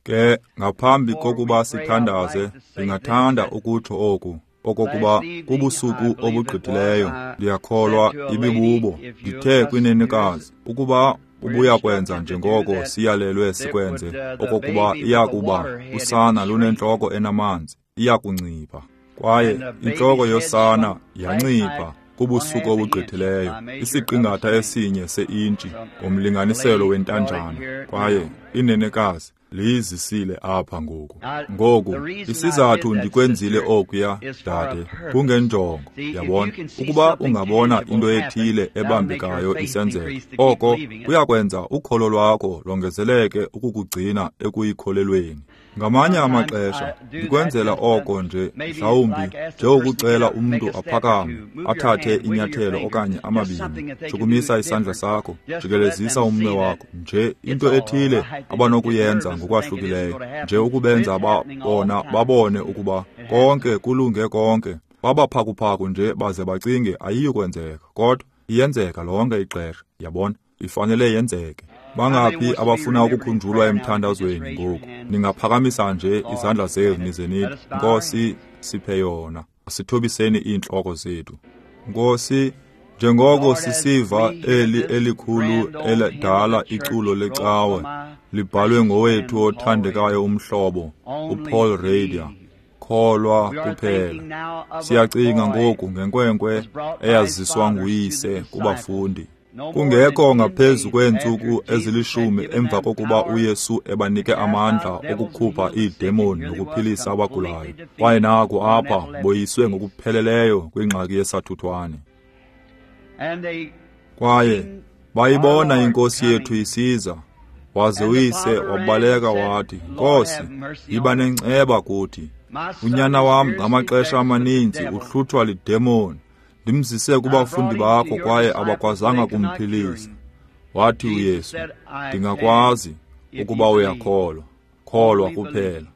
Ke ngaphambi kokuba sithandaze, ndingathanda ukutsho oku, okokuba kubusuku obugqithileyo, ndiyakholwa ibibubo, ndithe kwinenekazi, ukuba ubuya kwenza njengoko siyalelwe sikwenze, okokuba iyakuba usana lunentloko enamanzi, iyakuncipha. Kwaye intloko yosana yancipha kubusuku obugqithileyo, isiqingatha esinye seintshi ngomlinganiselo wentanjana, kwaye inenekazi liyizisile apha ngoku. Ngoku, isizathu ndikwenzile okuya, dade, kungenjongo, yabona, ukuba ungabona into ethile ebambekayo isenzeka, oko kuyakwenza ukholo lwakho longezeleke ukukugcina ekuyikholelweni. Ngamanye amaxesha ndikwenzela oko nje, mhlawumbi njengokucela umntu aphakame, athathe inyathelo okanye amabini, chukumisa isandla sakho, jikelezisa umnwe wakho, nje into ethile abanokuyenza ngokwahlukileyo, nje ukubenza bona babone ukuba konke kulunge konke. Babaphakuphaku nje baze bacinge ayiyi kwenzeka, kodwa iyenzeka lonke ixesha, yabona, ifanele yenzeke. Bangaphi abafuna ukukhunjulwa emthandazweni ngoku? Ningaphakamisa nje izandla zenu nize nithi, Nkosi, siphe yona. Asithobiseni iintloko zethu. Nkosi, njengoko sisiva eli elikhulu eledala iculo lecawe libhalwe ngowethu othandekayo umhlobo uPaul Rader, kholwa kuphela. Siyacinga ngoku ngenkwenkwe eyaziswa nguyise kubafundi. Kungekho ngaphezu kweentsuku ezilishumi emva kokuba uYesu ebanike amandla okukhupha iidemoni nokuphilisa abagulayo, kwaye naku apha boyiswe ngokupheleleyo kwingxaki yesathuthwane. Kwaye bayibona iNkosi yethu isiza, waze uyise wabaleka wathi, Nkosi, yiba nenceba kuthi. Unyana wam ngamaxesha amaninzi uhluthwa lidemoni. Ndimzise kubafundi bakho kwaye abakwazanga kumphilisa. Wathi uYesu, ndingakwazi ukuba uyakholwa, kholwa kuphela.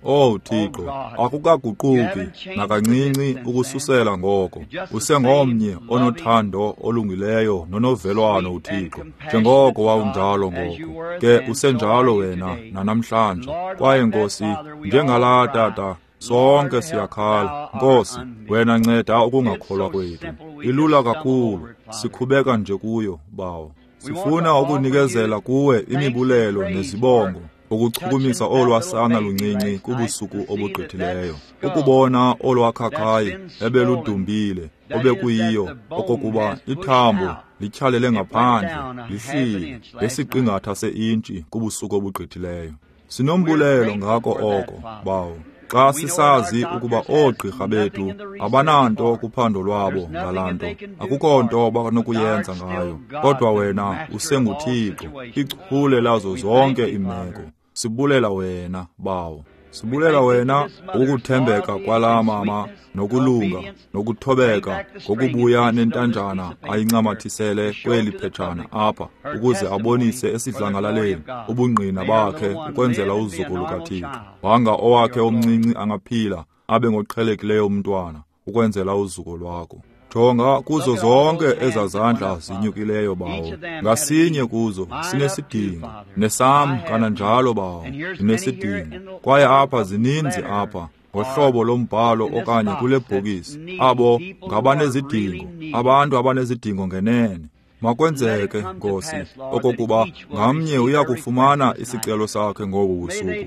Oh Thixo, akukaguquki nakancinci ukususela ngoko. Usengomnye onothando olungileyo nonovelwano uThixo, njengoko wawunjalo ngoko. Ke usenjalo wena nanamhlanje. Kwaye Nkosi, njengalaa tata, sonke siyakhala. Nkosi, wena nceda ukungakholwa kwethu. Ilula kakhulu, sikhubeka nje kuyo, Bawo. Sifuna ukunikezela kuwe imibulelo nezibongo, ukuchukumisa olwasana luncinci kubusuku obugqithileyo, ukubona olwakhakhayi ebeludumbile, obekuyiyo okokuba ithambo lityhalele ngaphandle, lihlile ngesiqingatha seintshi kubusuku obugqithileyo. Sinombulelo ngako oko, Bawo, xa sisazi ukuba oogqirha bethu abananto kuphando lwabo ngalaa nto, akukho nto banokuyenza ngayo, kodwa wena usenguThixo, ichule lazo zonke iimeko. Sibulela wena, Bawo. Sibulela wena ukuthembeka kwalaa mama nokulunga nokuthobeka ngokubuya nentanjana ayincamathisele kweli phetshana apha ukuze abonise esidlangalaleni ubungqina bakhe ukwenzela uzuko lukaThixo. Wanga owakhe omncinci angaphila abe ngoqhelekileyo umntwana ukwenzela uzuko lwakho. Jonga kuzo zonke ezazandla zinyukileyo, Bawo. Ngasinye kuzo sinesidingo, nesam kananjalo, Bawo, ndinesidingo. Kwaye apha zininzi apha ngohlobo lombhalo okanye kule bhokisi, abo ngabanezidingo, abantu abanezidingo ngenene. Makwenzeke, Nkosi, okokuba ngamnye uyakufumana isicelo sakhe ngobu busuku.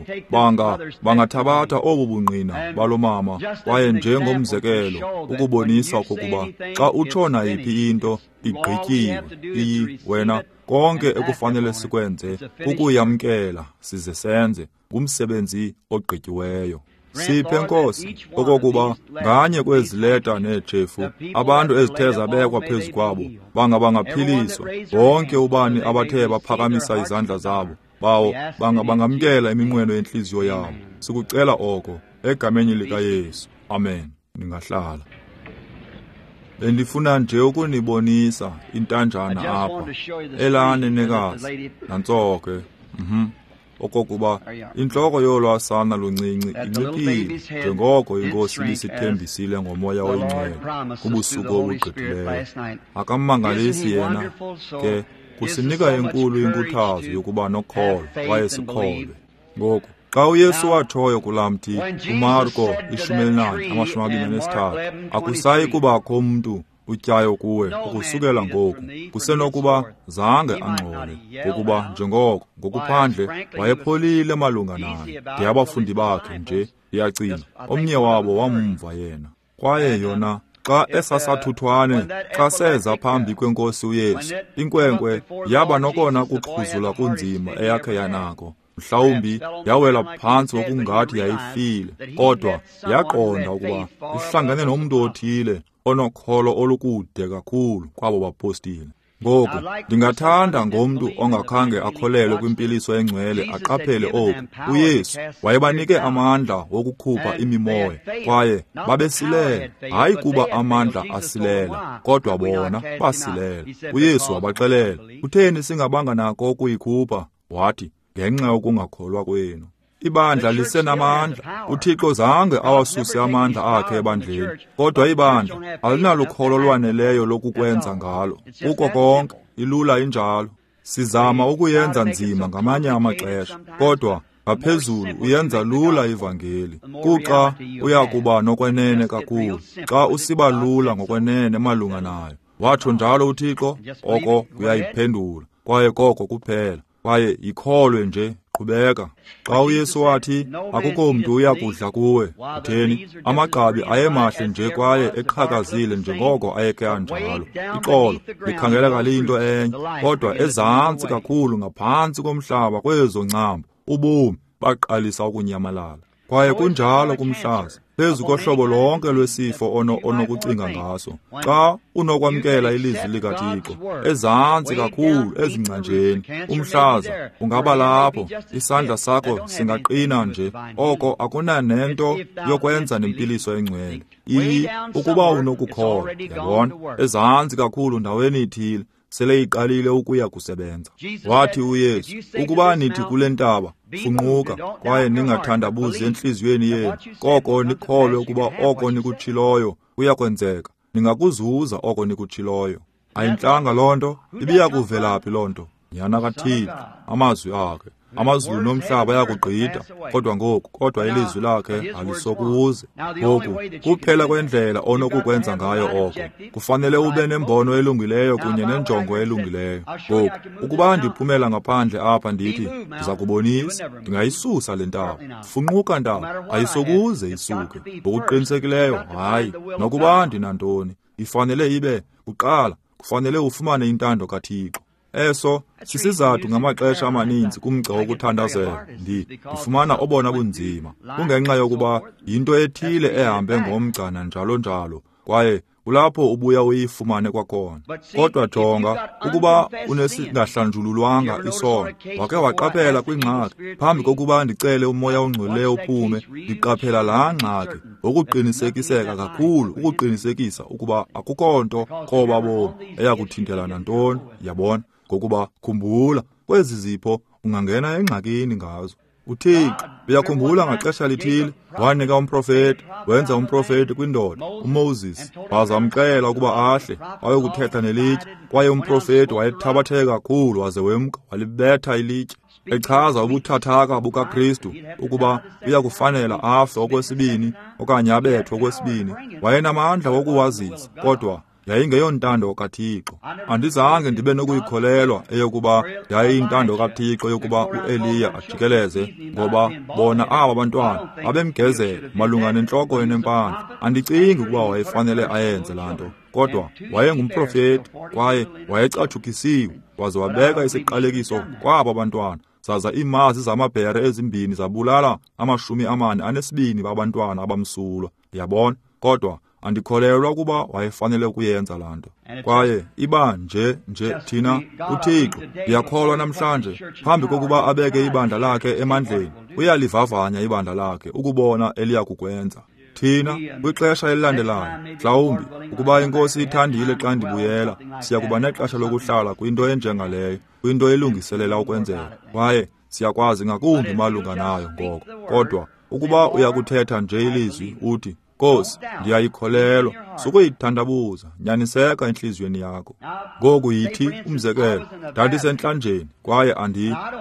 Bangathabatha obu bungqina balo mama, kwaye njengomzekelo ukubonisa okokuba xa utsho nayiphi into igqityiwe, iyi wena, konke ekufanele sikwenze kukuyamkela size senze ngumsebenzi ogqityiweyo. Siphe, Nkosi, okokuba nganye kwezi leta neetshefu abantu ezithe zabekwa phezu kwabo banga bangaphiliswa. Wonke ubani abathe baphakamisa izandla zabo, Bawo, banga bangamkela iminqweno yentliziyo yabo. Sikucela oko egameni likaYesu. Amen. Ningahlala. Bendifuna nje ukunibonisa intanjana apha, elaa nenekazi, nantso ke. Okokuba intloko yolwasana luncinci inciphile njengoko iNkosi ibisithembisile ngoMoya oyiNgcwele kubusuku obugqithileyo. Akammangalisi yena ke, kusinika enkulu inkuthazo yokuba nokholo kwaye sikholwe. Ngoku Xa uYesu watshoyo kulaa mthi kuMarko 14:23, akusayi kubakho mntu utyayo kuwe ukusukela ngoku. Kusenokuba zange angxole, ngokuba njengoko ngokuphandle wayepholile malunga naye. De abafundi bakhe nje, ndiyacinga, omnye wabo wamva yena. Kwaye yona xa esasathuthwane, xa seza phambi kwenkosi uYesu, inkwenkwe yaba nokona kuxhuzula kunzima eyakhe yanako. Mhlawumbi yawela phantsi ngokungathi yayifile, kodwa yaqonda ukuba ihlangene nomntu othile onokholo olukude kakhulu kwabo bapostile. Ngoku ndingathanda ngomntu ongakhange akholelwe kwimpiliso engcwele aqaphele oku. uYesu wayebanike amandla wokukhupha imimoya, kwaye babesilela. Hayi kuba amandla asilela, kodwa bona basilela. uYesu wabaxelela, kutheni singabanga nako ukuyikhupha? Wathi, ngenxa yokungakholwa kwenu. Ibandla lisenamandla. uThixo zange awasuse amandla akhe ebandleni, kodwa ibandla alinalukholo lwaneleyo lokukwenza ngalo. Kuko konke, ilula injalo. Sizama ukuyenza nzima ngamanye amaxesha, kodwa ngaphezulu uyenza lula ivangeli. Kuxa uyakuba nokwenene kakhulu, xa usiba lula ngokwenene malunga nayo. Watsho njalo uThixo, oko kuyayiphendula, kwaye koko kuphela. Kwaye yikholwe nje, qhubeka. Xa uYesu wathi, akukho mntu uyakudla kuwe, utheni? Amagqabi ayemahle nje kwaye eqhakazile njengoko ayekhe anjalo. Ixolo likhangeleka liyinto enye, kodwa ezantsi kakhulu ngaphantsi komhlaba kwezo ncambu, ubomi baqalisa ukunyamalala. Kwaye kunjalo kumhlaza, phezu kohlobo lonke lwesifo onokucinga ngaso. Xa unokwamkela ilizwi likaThixo, ezantsi kakhulu ezingcanjeni, umhlaza ungaba lapho, isandla sakho singaqina nje, oko akunanento yokwenza nempiliso engcwele. Ukuba unokukholwa, yabona, ezantsi kakhulu ndaweni ithile, sele iqalile ukuya kusebenza. Wathi uYesu, ukuba nithi kule ntaba, funquka, kwaye ningathandabuzi entliziyweni yenu, koko nikholwe ukuba oko nikutshiloyo kuyakwenzeka, ningakuzuza oko nikutshiloyo. Ayintlanga loo nto? Ibiyakuvelaphi loo nto? Nyana kaThixo, amazwi akhe. Amazulu nomhlaba ayakugqitha, kodwa ngoku, kodwa ilizwi lakhe alisokuze. Ngoku kuphela kwendlela onokukwenza ngayo oko, kufanele ube nembono elungileyo kunye nenjongo elungileyo. Ngoku, ukuba ndiphumela ngaphandle apha ndithi, ndiza kubonisa, ndingayisusa le ntaba. Funquka ntaba, ayisokuze isuke. Ngokuqinisekileyo, hayi, nokuba ndinantoni, ifanele ibe, kuqala, kufanele ufumane intando kaThixo. Eso sisizathu ngamaxesha amaninzi kumgca wokuthandazela ndifumana obona bunzima, kungenxa yokuba yinto ethile ehambe ngomgca nanjalo njalo, kwaye kulapho ubuya uyifumane kwakhona. Kodwa jonga, ukuba unesingahlanjululwanga isono, wake waqaphela kwingxaki, phambi kokuba ndicele umoya ongcweleyo uphume, ndiqaphela laa ngxaki ngokuqinisekiseka kakhulu, ukuqinisekisa ukuba akukho nto koba bomi eyakuthintela nantoni, yabona. Ngokuba khumbula, kwezi zipho ungangena engxakini ngazo. uThixo uyakhumbula ngaxesha lithile wanika umprofeti, wenza umprofeti kwindoda uMoses, waza wamxelela ukuba ahle ayokuthetha nelitye, kwaye umprofeti wayethabatheke kakhulu waze wemka walibetha ilitye, echaza ubuthathaka bukaKristu ukuba uyakufanela afe okwesibini okanye abethwe okwesibini. Wayenamandla wokuwazisa, kodwa yayingeyontando kaThixo. Andizange ndibe nokuyikholelwa eyokuba yayiyintando kaThixo yokuba uEliya ajikeleze, ngoba bona aba bantwana babemgezela malunga nentloko enempandla. Andicingi ukuba wayefanele ayenze laa nto, kodwa wayengumprofeti kwaye wayecatshukisiwe, waze wabeka isiqalekiso kwaba bantwana. Zaza iimazi zamabhere ezimbini zabulala 42 babantwana abamsulwa, yabona. Kodwa andikholelwa ukuba wayefanele ukuyenza laa nto. Kwaye iba nje thina uThixo, ndiyakholwa namhlanje, phambi kokuba abeke ibandla lakhe emandleni, uyalivavanya ibandla lakhe ukubona eliyakukwenza. Thina kwixesha elilandelayo, mhlawumbi ukuba iNkosi ithandile xa ndibuyela, siya kuba nexesha lokuhlala kwinto enjengaleyo, kwinto elungiselela ukwenzeka, kwaye siyakwazi ngakumbi malunga nayo ngoko. Kodwa ukuba uyakuthetha nje ilizwi uthi, Nkosi, ndiyayikholelwa, sukuyithandabuza, nyaniseka entliziyweni yakho. Ngoku yithi, umzekelo, ndandisentlanjeni kwaye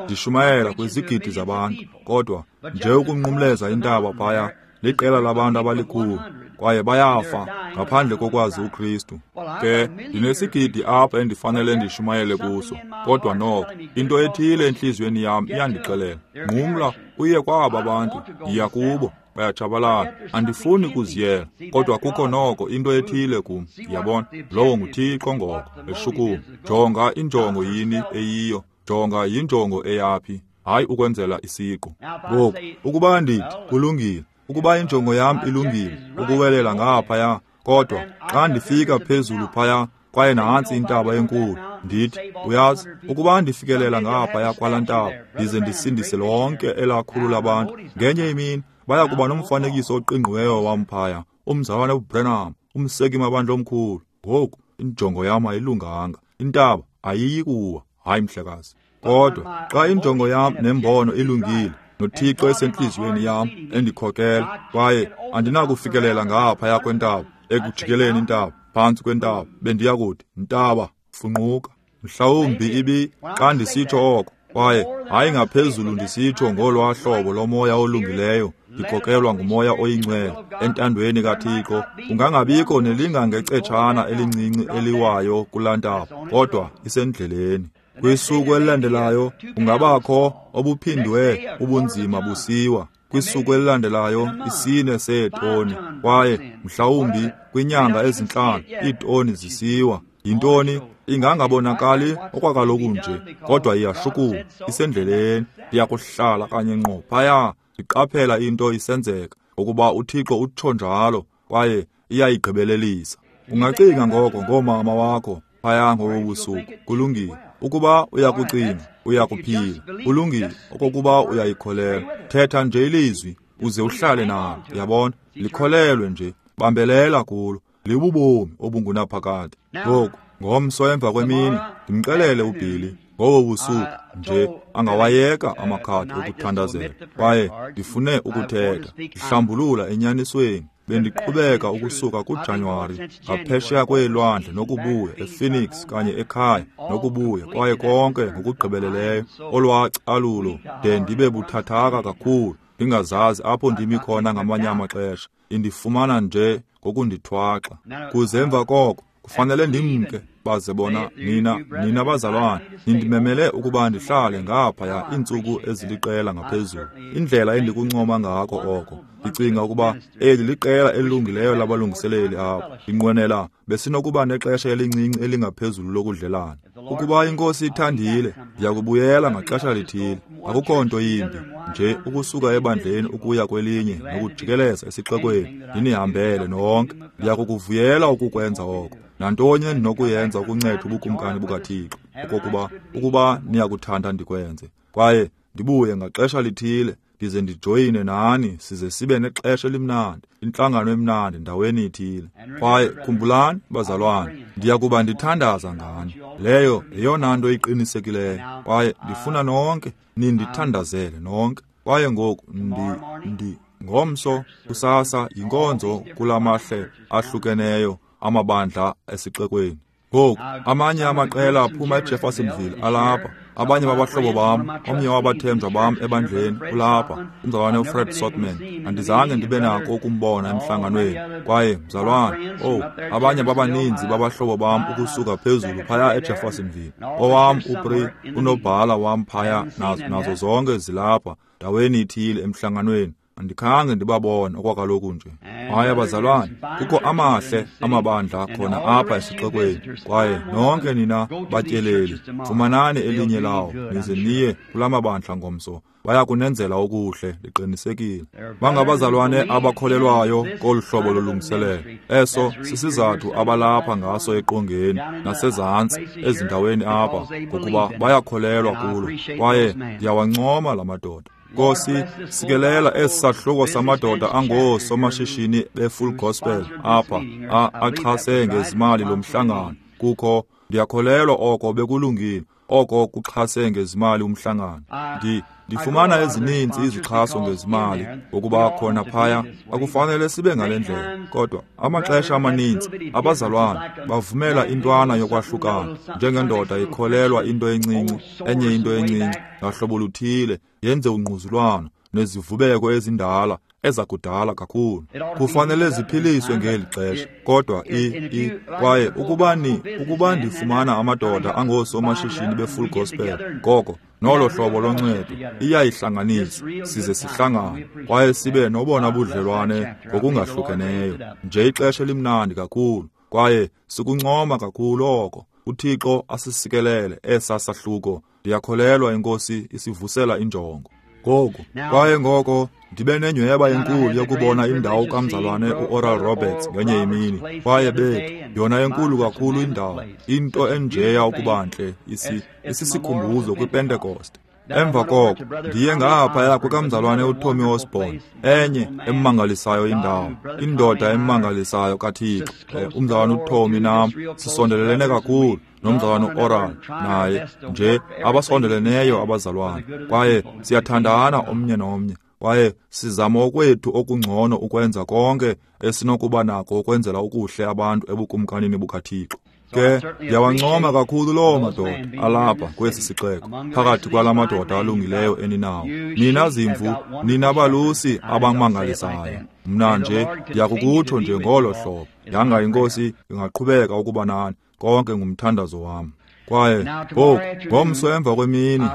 ndishumayela kwizigidi zabantu, kodwa Nje ukunqumleza intaba phaya, liqela labantu abalikhulu, kwaye bayafa ngaphandle kokwazi uKristu. Ke ndinesigidi apha endifanele ndishumayele kuso, kodwa noko into ethile entliziyweni yam iyandixelela, nqumla uye kwaba bantu, yiya kubo, bayatshabalala. Andifuni kuziyela, kodwa kukho noko into ethile kum. Yabona, lowo nguThixo ngoko eshukuma. Jonga injongo yini eyiyo, jonga yinjongo eyaphi, hayi ukwenzela isiqu. Ngoku ukuba ndithi kulungile, ukuba injongo yam ilungile ukuwelela ngaphaya, kodwa xa ndifika phezulu phaya kwaye nantsi intaba enkulu, ndithi, uyazi, ukuba ndifikelela ngaphaya kwalaa ntaba ndize ndisindise lonke elakhulu labantu, ngenye imini baya kuba nomfanekiso oqingqiweyo wam phaya, umzalwane uBranham, umseki mabandla omkhulu. Ngoku injongo yam ayilunganga, intaba ayiyi kuwa, hayi mhlekazi. Kodwa xa injongo yam nembono ilungile, noThixo esentliziyweni yam endikhokela, kwaye andinakufikelela ngaphaya kwentaba, ekujikeleni intaba, phantsi kwentaba, bendiya kuthi, ntaba, funquka. Mhlawumbi ibi xa ndisitsho oko, kwaye hayi ngaphezulu ndisitsho ngolwaa hlobo lomoya olungileyo, ndikhokelwa ngumoya oyingcwele entandweni kaThixo, kungangabikho nelingangecetshana elincinci eliwayo kulaa ntaba, kodwa isendleleni. Kwisuku elilandelayo kungabakho obuphindwe ubunzima busiwa. Kwisuku elilandelayo 4 seetoni, kwaye mhlawumbi kwinyanga ezintlanu iitoni zisiwa. Yintoni? Ingangabonakali okwakaloku nje, kodwa iyashukuma, isendleleni. Ndiyakuhlala kanye ngqo phaya, ndiqaphela into isenzeka, ngokuba uThixo utsho njalo, kwaye iyayigqibelelisa. Ungacinga ngoko ngoomama wakho phaya ngobo busuku. Kulungile. Ukuba uyakucinga, uyakuphila. Kulungile okokuba uyayikholelwa. Thetha nje ilizwi uze uhlale nalo. Yabona? Likholelwe nje, bambelela kulo. Libubomi obungunaphakade. Ngoku ngomso emva kwemini ndimxelele uBilly ngobo busuku nje angawayeka amakhadi okuthandazela, kwaye ndifune ukuthetha ndihlambulula enyanisweni. Bendiqhubeka ukusuka kuJanuwari ngaphesheya kweelwandle nokubuya ePhoenix kanye ekhaya nokubuya, kwaye konke ngokugqibeleleyo olwacalulo de ndibe buthathaka kakhulu ndingazazi apho ndimi khona ngamanye amaxesha. Indifumana nje ngokundithwaxa. Kuze emva koko kufanele ndimke, baze bona nina bazalwane nindimemele ukuba ndihlale ngaphaya iintsuku eziliqela ngaphezulu. Indlela endikuncoma ngako oko, ndicinga ukuba eli liqela elilungileyo labalungiseleli apha. Ndinqwenela besinokuba nexesha elincinci elingaphezulu lokudlelana. Ukuba iNkosi ithandile, ndiyakubuyela ngaxesha lithile. Akukho nto yimbi nje ukusuka ebandleni ukuya kwelinye nokujikeleza esixekweni ndinihambele nonke. Ndiyakukuvuyela ukukwenza oko. Nantoni endinokuyenza ukunceda ubukumkani bukaThixo, okokuba ukuba niyakuthanda ndikwenze. Kwaye ndibuye ngaxesha lithile ndize ndijoyine nani, size sibe nexesha elimnandi, intlangano emnandi ndaweni ithile. Kwaye khumbulani bazalwane, ndiyakuba ndithandaza ngani. Leyo yeyona nto iqinisekileyo, kwaye ndifuna nonke nindithandazele nonke. Kwaye ngoku ngomso kusasa yinkonzo kulamahle ahlukeneyo amabandla esixekweni. Ngoku amanye amaqela aphuma eJeffersonville alapha, abanye babahlobo bam, omnye wabathenjwa bam ebandleni ulapha, umzalwane uFred Sotman. Andizange ndibe nako ukumbona emhlanganweni. Kwaye mzalwane, abanye babaninzi babahlobo bam ukusuka phezulu phaya eJeffersonville. Owam uPri, unobhala wam phaya, nazo zonke zilapha ndaweni ithile emhlanganweni. Andikhange ndibabone okwakaloku nje. Hayi abazalwane, kukho amahle amabandla khona apha esixekweni, kwaye nonke nina batyeleli, fumanani elinye lawo nize niye kula mabandla ngomso. Baya kunenzela okuhle, ndiqinisekile. Bangabazalwane abakholelwayo kolu hlobo lolungiselelo. Eso sisizathu abalapha ngaso eqongeni nasezantsi ezindaweni apha, ngokuba bayakholelwa kulo, kwaye ndiyawancoma la madoda. Nkosi, sikelela esi sahluko samadoda angoosomashishini be-Full Gospel apha axhase ngezimali lo mhlangano. Kukho, ndiyakholelwa oko bekulungile, oko kuxhase ngezimali umhlangano. Ndifumana ezininzi izixhaso ngezimali, ngokuba khona phaya akufanele sibe ngale ndlela. Kodwa amaxesha amaninzi abazalwane bavumela intwana yokwahlukana, njengendoda ikholelwa into encinci, enye into encinci ngahlobo luthile, yenze ungquzulwano nezivubeko ezindala ezakudala kakhulu. Kufanele ziphiliswe ngeli xesha, kodwa kwaye ukuba ndifumana amadoda angoosomashishini be-full gospel, ngoko nolo hlobo loncedo iyayihlanganisa, size sihlangane kwaye sibe nobona budlelwane ngokungahlukeneyo. Nje ixesha elimnandi kakhulu, kwaye sikuncoma kakhulu oko. UThixo asisikelele esa sahluko. Ndiyakholelwa iNkosi isivusela injongo. Ngoku, kwaye ngoko ndibe nenyweba enkulu yokubona indawo kamzalwane uOral Roberts ngenye imini, kwaye bethu, yona enkulu kakhulu indawo, into enjeya ukuba ntle, isisikhumbuzo kwiPentekoste. Emva koko ndiye ngaphaya kukamzalwane uTommy Osborn, enye emmangalisayo indawo, indoda emmangalisayo kaThixo. Umzalwane uTommy nam sisondelelene kakhulu nomzalwane uOral naye, nje abasondeleneyo abazalwane, kwaye siyathandana omnye nomnye, kwaye sizama okwethu okungcono ukwenza konke esinokuba nako ukwenzela ukuhle abantu ebukumkanini bukaThixo. Ke ndiyawancoma kakhulu loo madoda alapha kwesi sixeko, phakathi kwala madoda alungileyo eninawo. Nina zimvu, nina balusi abamangalisayo. Mna nje ndiyakukutsho nje ngolo hlobo. Yanga iNkosi ingaqhubeka ukuba nani, konke ngumthandazo wam. Kwaye ngoku ngomso emva kwemini,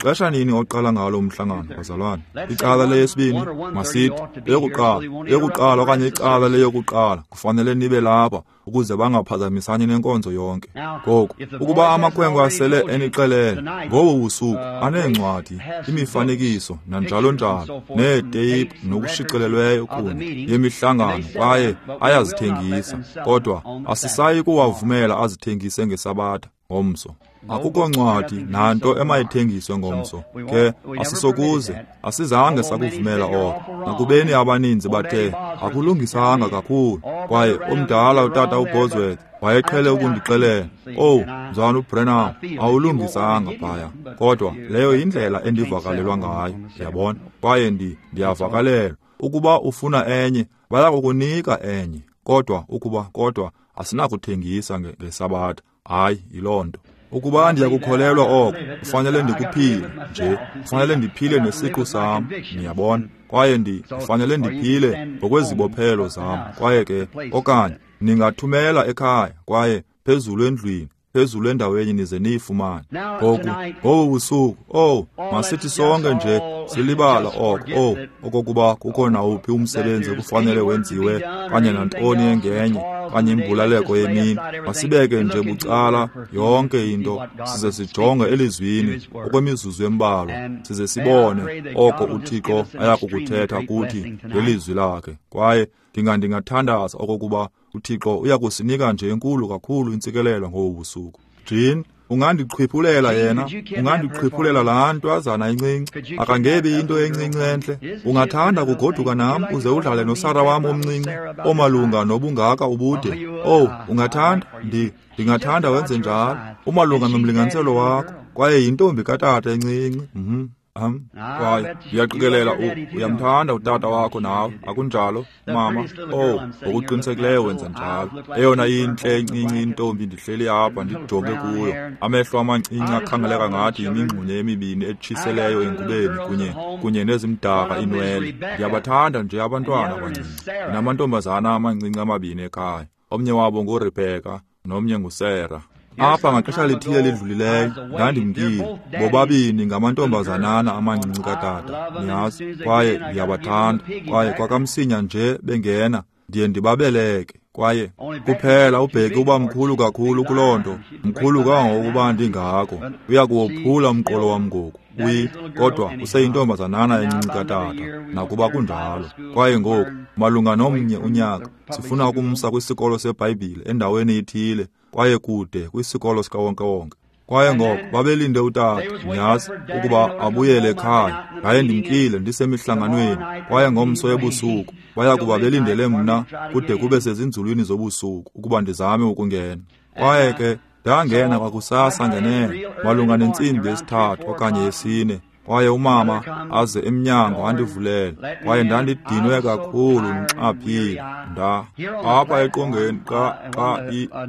xesha nini oqala ngalo umhlangano, bazalwane? Icala leyesibini, masithi eyokuqala okanye icala leyokuqala, kufanele nibe lapha ukuze bangaphazamisani nenkonzo yonke. Ngoku, ukuba amakhwenkwe asele enixelele ngobu busuku aneencwadi, imifanekiso nanjalo njalo, neeteyiphu nokushicilelweyo kunye yemihlangano, kwaye ayazithengisa, kodwa asisayi kuwavumela azithengise ngeSabatha ngomso. Akukho ncwadi nanto emayithengiswe ngomso. Ke asisokuze, asizange sakuvumela oko. Nakubeni abaninzi bathe akulungisanga kakhulu, kwaye omdala utata uBosworth wayeqhele ukundixelela, "Oh, mzalwana uBrenham, awulungisanga phaya." Kodwa leyo yindlela endivakalelwa ngayo, yabona. Kwaye ndiyavakalelwa. Ukuba ufuna enye, bayakukunika enye. Kodwa asinakuthengisa ngeSabatha. Hayi, yiloo nto. Ukuba ndiyakukholelwa oko, kufanele ndikuphile nje, kufanele ndiphile nesiqu sam, niyabona. Kwaye ndifanele ndiphile ngokwezibophelo zam. Kwaye ke, okanye ningathumela ekhaya, kwaye phezulu endlwini, phezulu endaweni nize niyifumane. Ngoku, ngobu busuku, masithi sonke nje silibala oko, okokuba kukho nawuphi umsebenzi ekufanele wenziwe, kanye nantoni engenye, kanye imbulaleko yemini. Masibeke nje bucala yonke into, size sijonge elizwini okwemizuzu embalwa, size sibone oko uThixo ayakukuthetha kuthi ngelizwi lakhe. Kwaye ndingathandaza okokuba uThixo uyakusinika nje enkulu kakhulu intsikelelo ngobu busuku. Jean, ungandiqhiphulela yena, ungandiqhiphulela laa ntwazana incinci, akangebi into encinci entle. Ungathanda kugoduka nam uze udlale noSara wam omncinci, omalunga nobungaka ubude. Oh, ungathanda? Ndingathanda wenze njalo, umalunga nomlinganiselo wakho, kwaye yintombi katata encinci. Kwaye ndiyaqikelela uyamthanda utata wakho nawe, akunjalo mama? Oh, ngokuqinisekileyo wenza njalo. Eyona intle encinci intombi ndihleli apha ndijonge kuyo, amehlo amancinci akhangeleka ngathi yimingxunya emibini etshiseleyo engubeni kunye nezimdaka inwele. Ndiyabathanda nje abantwana abancinci. Ndinamantombazana amancinci amabini ekhaya, omnye wabo nguRebecca nomnye nguSarah. Apha ngaxesha lithile lidlulileyo ndandimkile, bobabini ngamantombazanana amancinci katata, niyazi, kwaye ndiyabathanda. Kwaye kwakamsinya nje bengena ndiye ndibabeleke, kwaye kuphela uBheki uba mkhulu kakhulu kuloo nto, mkhulu kangangokuba ndingako, uyakuwophula umqolo wam ngoku. Kodwa useyintombazanana encinci katata, nakuba kunjalo. Kwaye ngoku malunga nomnye unyaka sifuna ukumsa kwisikolo seBhayibhile endaweni ethile, kwaye kude kwisikolo sikawonkewonke. Kwaye ngoko babelinde utata, niyazi, ukuba abuyele ekhaya. Ndaye ndimkile ndisemihlanganweni, kwaye ngomso ebusuku baya kuba belindele mna kude kube sezinzulwini zobusuku ukuba ndizame ukungena. Kwaye ke ndangena kwakusasa ngenene malunga nentsimbi yesithathu okanye yesine, kwaye umama aze emnyango andivulele, kwaye ndandidinwe kakhulu ndixaphile. Apha eqongeni xa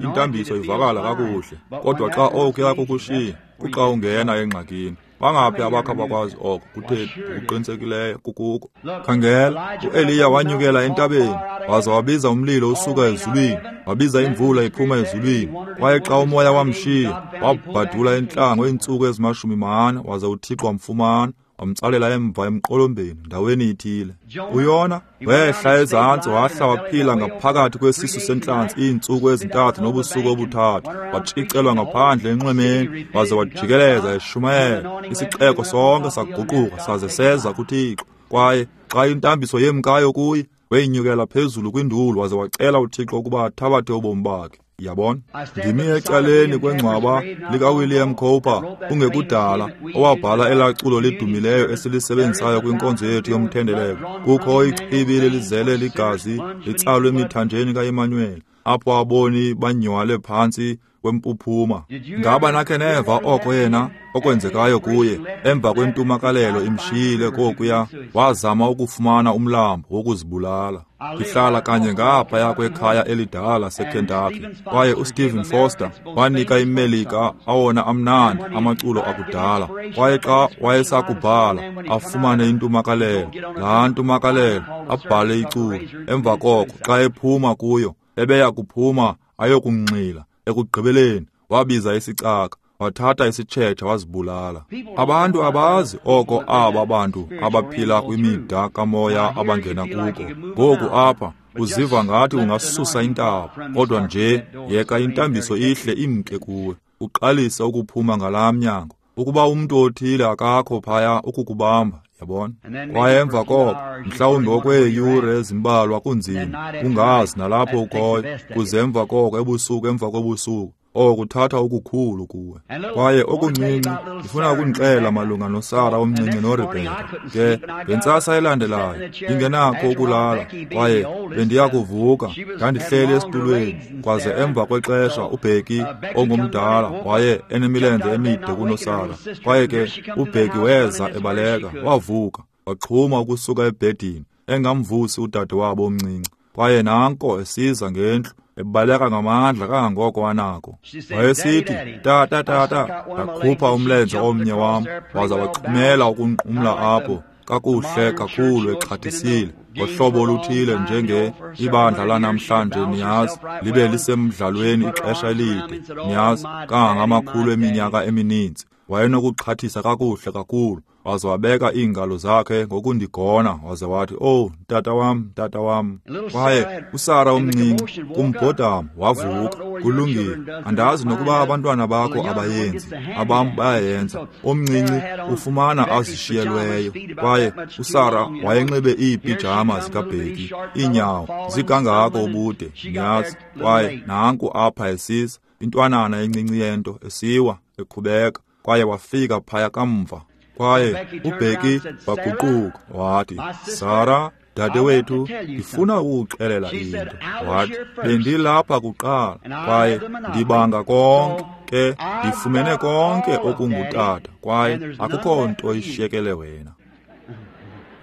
intambiso ivakala kakuhle, kodwa xa okuya kukushiya kuxa ungena engxakini. Bangaphi abakha bakwazi oko? Kutheni, ngokuqinisekileyo kukuko. Khangela, uEliya wanyukela entabeni, waza wabiza umlilo usuka ezulwini, wabiza imvula iphuma ezulwini. Kwaye xa umoya wamshiya, wabhadula entlango iintsuku ezi-40, waza uThixo wamfumana, wamtsalela emva emqolombeni ndaweni ithile. UYona wehla ezantsi, wahla waphila ngaphakathi kwesisu sentlanzi iintsuku 3 nobusuku 3, watshicelwa ngaphandle enxwemeni, waze wajikeleza eshumayela. Isixeko sonke saguquka saze seza kuThixo. Kwaye xa intambiso yemkayo kuye, wenyukela phezulu kwindulu waze wacela uThixo ukuba athabathe ubomi bakhe. Yabona, ndimi ecaleni kwengcwaba likaWilliam Cowper kungekudala, owabhala elaa culo lidumileyo esilisebenzisayo kwinkonzo yethu yomthendeleko. Kukho ichibi lelizele ligazi litsalwe emithanjeni kaEmmanuel, apho aboni banywale phantsi kwempuphuma. Ngaba nakhe neva oko yena okwenzekayo kuye emva kwentumakalelo imshiyile kokuya, wazama ukufumana umlambo wokuzibulala. Ndihlala kanye ngaphaya kwekhaya elidala seKentucky, kwaye uStephen Foster wanika iMelika awona amnandi amaculo akudala. Kwaye xa wayesakubhala afumane intumakalelo, laa ntumakalelo abhale iculo. Emva koko xa ephuma kuyo, ebeya kuphuma ayokunxila. Ekugqibeleni wabiza isicaka, wathatha isitshetsha wazibulala. Abantu abazi oko aba bantu abaphila kwimida kamoya abangena kuko. Ngoku apha uziva ngathi ungasusa intaba, kodwa nje yeka intambiso ihle imke kuwe, uqalise ukuphuma ngalaa mnyango. Ukuba umntu othile akakho phaya ukukubamba, yabona. Kwaye emva koko mhlawumbi okweeyure ezimbalwa kunzima, ungazi nalapho ukhoyo, kuze emva koko ebusuku emva kobusuku, okuthatha okukhulu kuwe. Kwaye okuncinci, ndifuna ukunixela malunga noSara omncinci noRebheka. Ke ngentsasa elandelayo ndingenakho ukulala, kwaye bendiyakuvuka, ndandihleli esitulweni, kwaze emva kwexesha uBheki ongumdala waye enemilenze emide kunoSara. Kwaye ke uBheki weza ebaleka, wavuka, waxhuma ukusuka ebhedini, engamvusi udadewabo omncinci. Kwaye nanko esiza ngendlu, ebaleka ngamandla kangangoko anako. Wayesithi, tata, tata, ndakhupha umlenze omnye wam, waza waxhumela ukunqumla apho kakuhle kakhulu exhathisile, ngohlobo oluthile njenge ibandla lanamhlanje, niyazi, libe lisemdlalweni ixesha elide, niyazi, kangangamakhulu eminyaka emininzi. Wayenokuxhathisa kakuhle kakhulu, waze wabeka iingalo zakhe ngokundigona, waze wathi, "Oh, tata wam, tata wam." Kwaye uSara omncinci kumbhodamo wavuka. Kulungile, andazi nokuba abantwana bakho abayenzi, abam bayayenza. Omncinci ufumana azishiyelweyo. Kwaye uSara wayenxibe iipijama zikaBheki, iinyawo zikangako ubude, niyazi. Kwaye nanku apha esiza, intwanana encinci yento esiwa ekhubeka, kwaye wafika phaya kamva. Kwaye uBheki waguquka wathi, "Sara, dadewethu, ndifuna ukuxelela into." Wathi, "Bendilapha kuqala, kwaye ndibanga konke, ke ndifumene konke okungutata, kwaye akukho nto ishiyekele wena."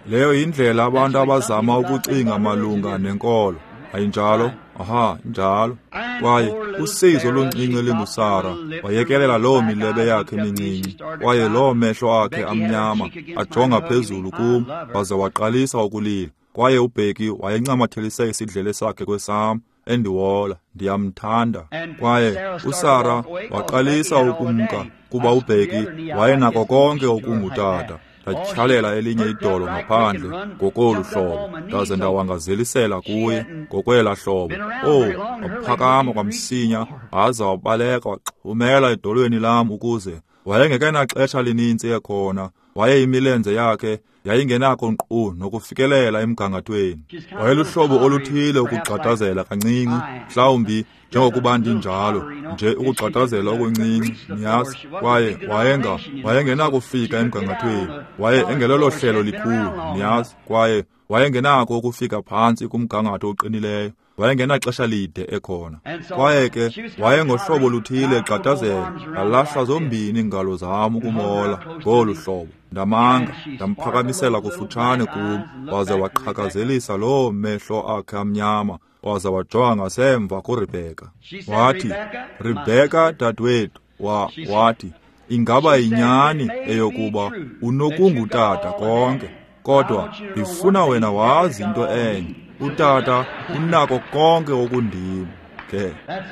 Leyo yindlela abantu abazama ukucinga malunga nenkolo. Ayinjalo? Aha, injalo. Kwaye usizo oluncinci linguSara wayekelela loo milebe yakhe emincinci, kwaye loo mehlo akhe amnyama ajonga phezulu kum, waze waqalisa ukulila. Kwaye uBheki wayencamathelise isidlele sakhe kwesam, endiwola, ndiyamthanda. Kwaye uSara waqalisa ukumka kuba uBheki wayenako konke okungutata. Ndatyhalela elinye idolo ngaphandle ngokolu hlobo, ndaze ndawangazelisela kuye ngokwela hlobo. Oh, waphakama kwamsinya, waza wabaleka waxhumela edolweni lam ukuze wayengekenaxesha linintsi ekhona. Waye imilenze yakhe yayingenako nkqu nokufikelela emgangathweni. Wayeluhlobo oluthile ukugxadazela kancinci, mhlawumbi njengokuba ndinjalo nje, ukugxadazela okuncinci, niyazi. Kwaye wayengenakufika emgangathweni, waye engelolo hlelo likhulu, niyazi. Kwaye wayengenako ukufika phantsi kumgangatho oqinileyo, wayengenaxesha lide ekhona. Kwaye ke wayengohlobo luthile egxadazela, ndalahla zombini iingalo zam ukumola ngolu hlobo. Ndamanga, ndamphakamisela kufutshane kum, waze waqhakazelisa loo mehlo akhe amnyama, waze wajonga ngasemva kuRebheka. Wathi, "Rebheka dadewethu," wathi, ingaba yinyani eyokuba unokungutata konke, kodwa ndifuna wena wazi into enye, utata unako konke okundim. Ke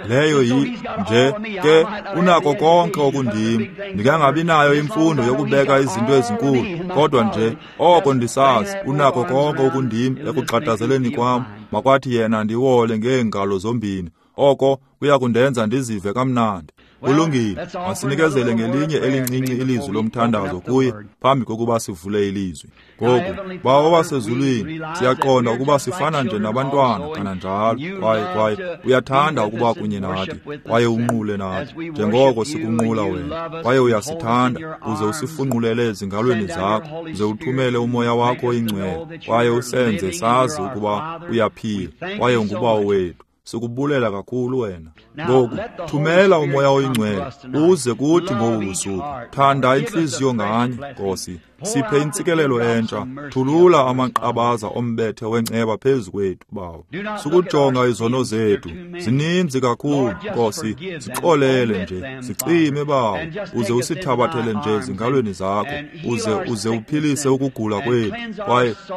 leyo nje ke unako konke okundim. Ndingangabi nayo imfundo yokubeka izinto ezinkulu, kodwa nje oko ndisazi unako konke okundim ekuxhatazeleni kwam. Makwathi yena ndiwole ngeengalo zombini, oko kuya kundenza ndizive kamnandi. Kulungile, masinikezele ngelinye elincinci ilizwi lomthandazo kuye phambi kokuba sivule ilizwi. Ngoku, Bawo wasezulwini, siyaqonda ukuba sifana nje nabantwana kananjalo, kwaye uyathanda ukuba kunye nathi, kwaye unqule nathi njengoko sikunqula wena, kwaye uyasithanda uze usifunqulele ezingalweni zakho, uze uthumele uMoya wakho oyingcwele, kwaye usenze sazi ukuba uyaphila, kwaye unguBawo wethu. Sikubulela kakhulu wena. Ngoku thumela uMoya oyingcwele uze kuthi ngobu busuku. Thanda intliziyo nganye, Nkosi. Siphe intsikelelo entsha. Thulula amaqabaza ombethe wenceba phezu kwethu, Bawo. Sukujonga izono zethu, zininzi kakhulu, Nkosi. Sixolele nje, sicime, Bawo, uze usithabathele nje ezingalweni zakho, uze uphilise ukugula kwethu,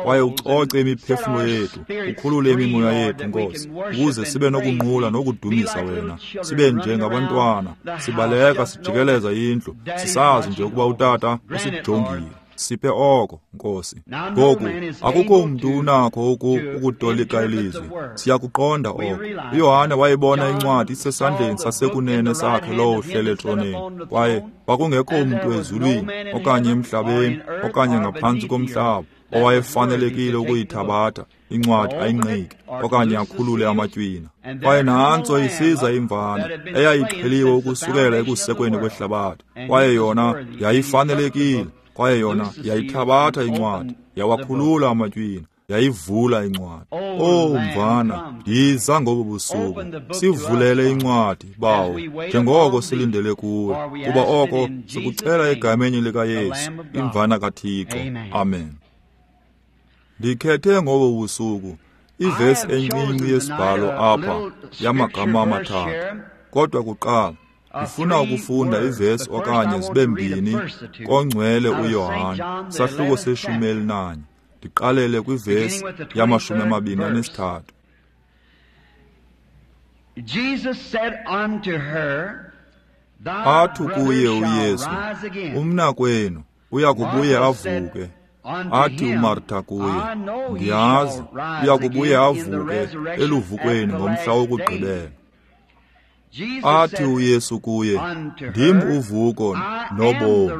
kwaye ucoce imiphefumulo yethu, ukhulule imimoya yethu, Nkosi, ukuze sibe nokunqula nokudumisa wena. Sibe njengabantwana, sibaleka sijikeleza indlu, sisazi nje ukuba utata usijongile. Siphe oko, Nkosi. Ngoku akukho mntu unakho ukutolika ilizwi. Siyakuqonda oko. uYohane wayibona incwadi isesandleni sasekunene sakhe lowo uhlele etroneni, kwaye kwakungekho mntu ezulwini okanye emhlabeni okanye ngaphantsi komhlaba owayefanelekile ukuyithabatha incwadi ayinqike okanye akhulule amatywina. Kwaye nantso isiza imvana eyayixheliwe ukusukela ekusekweni kwehlabathi, kwaye yona yayifanelekile, kwaye yona yayithabatha incwadi, yawakhulula amatywina, yayivula incwadi. Oh mvana, yiza ngobu busuku, sivulele incwadi, Bawo, njengoko silindele kuwe, kuba oko sikucela egameni likaYesu, imvana kaThixo. Amen. Ndikhethe ngobu busuku ivesi encinci yesibhalo apha yamagama amathathu, kodwa kuqala ndifuna ukufunda ivesi okanye zibe mbini kongcwele uYohane, sahluko se-14, ndiqalele kwivesi yama-23. Athi kuye uYesu, umnakwenu uya kubuye avuke. Athi uMarta kuye, ndiyazi uya kubuye avuke eluvukweni ngomhla wokugqibela. Athi uYesu kuye, ndim uvuko nobomi.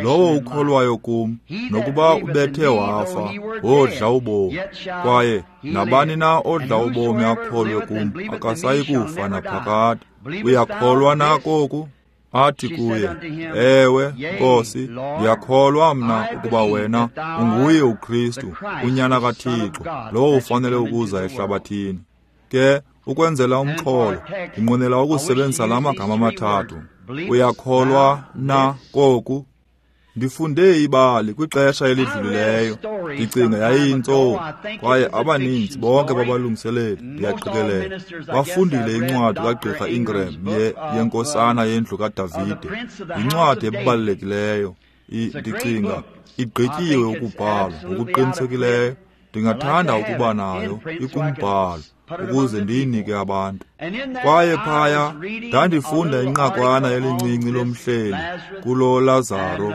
Lowo ukholwayo kum, nokuba ubethe wafa, wodla ubomi. Kwaye nabani na odla ubomi akholwe kum, akasayi kufa naphakade. Uyakholwa na koku? Athi kuye, ewe, Nkosi, ndiyakholwa mna ukuba wena unguye uKristu, unyana kaThixo, lowo ufanele ukuza ehlabathini. Ke ukwenzela umxholo, ndinqwenela ukusebenzisa la magama amathathu. Uyakholwa na koku? Ndifunde ibali kwixesha elidlulileyo, ndicinga yayiyintsomi, kwaye abaninzi bonke babalungiseleli, ndiyaqikelela, bafundile incwadi kaGqirha Ingram yeNkosana yendlu kaDavide. Yincwadi ebalulekileyo, ndicinga igqityiwe ukubhalwa ngokuqinisekileyo. Ndingathanda ukuba nayo ikumbhalo ukuze ndiyinike abantu. Kwaye phaya ndandifunda inqakwana elincinci lomhleli kulo Lazaro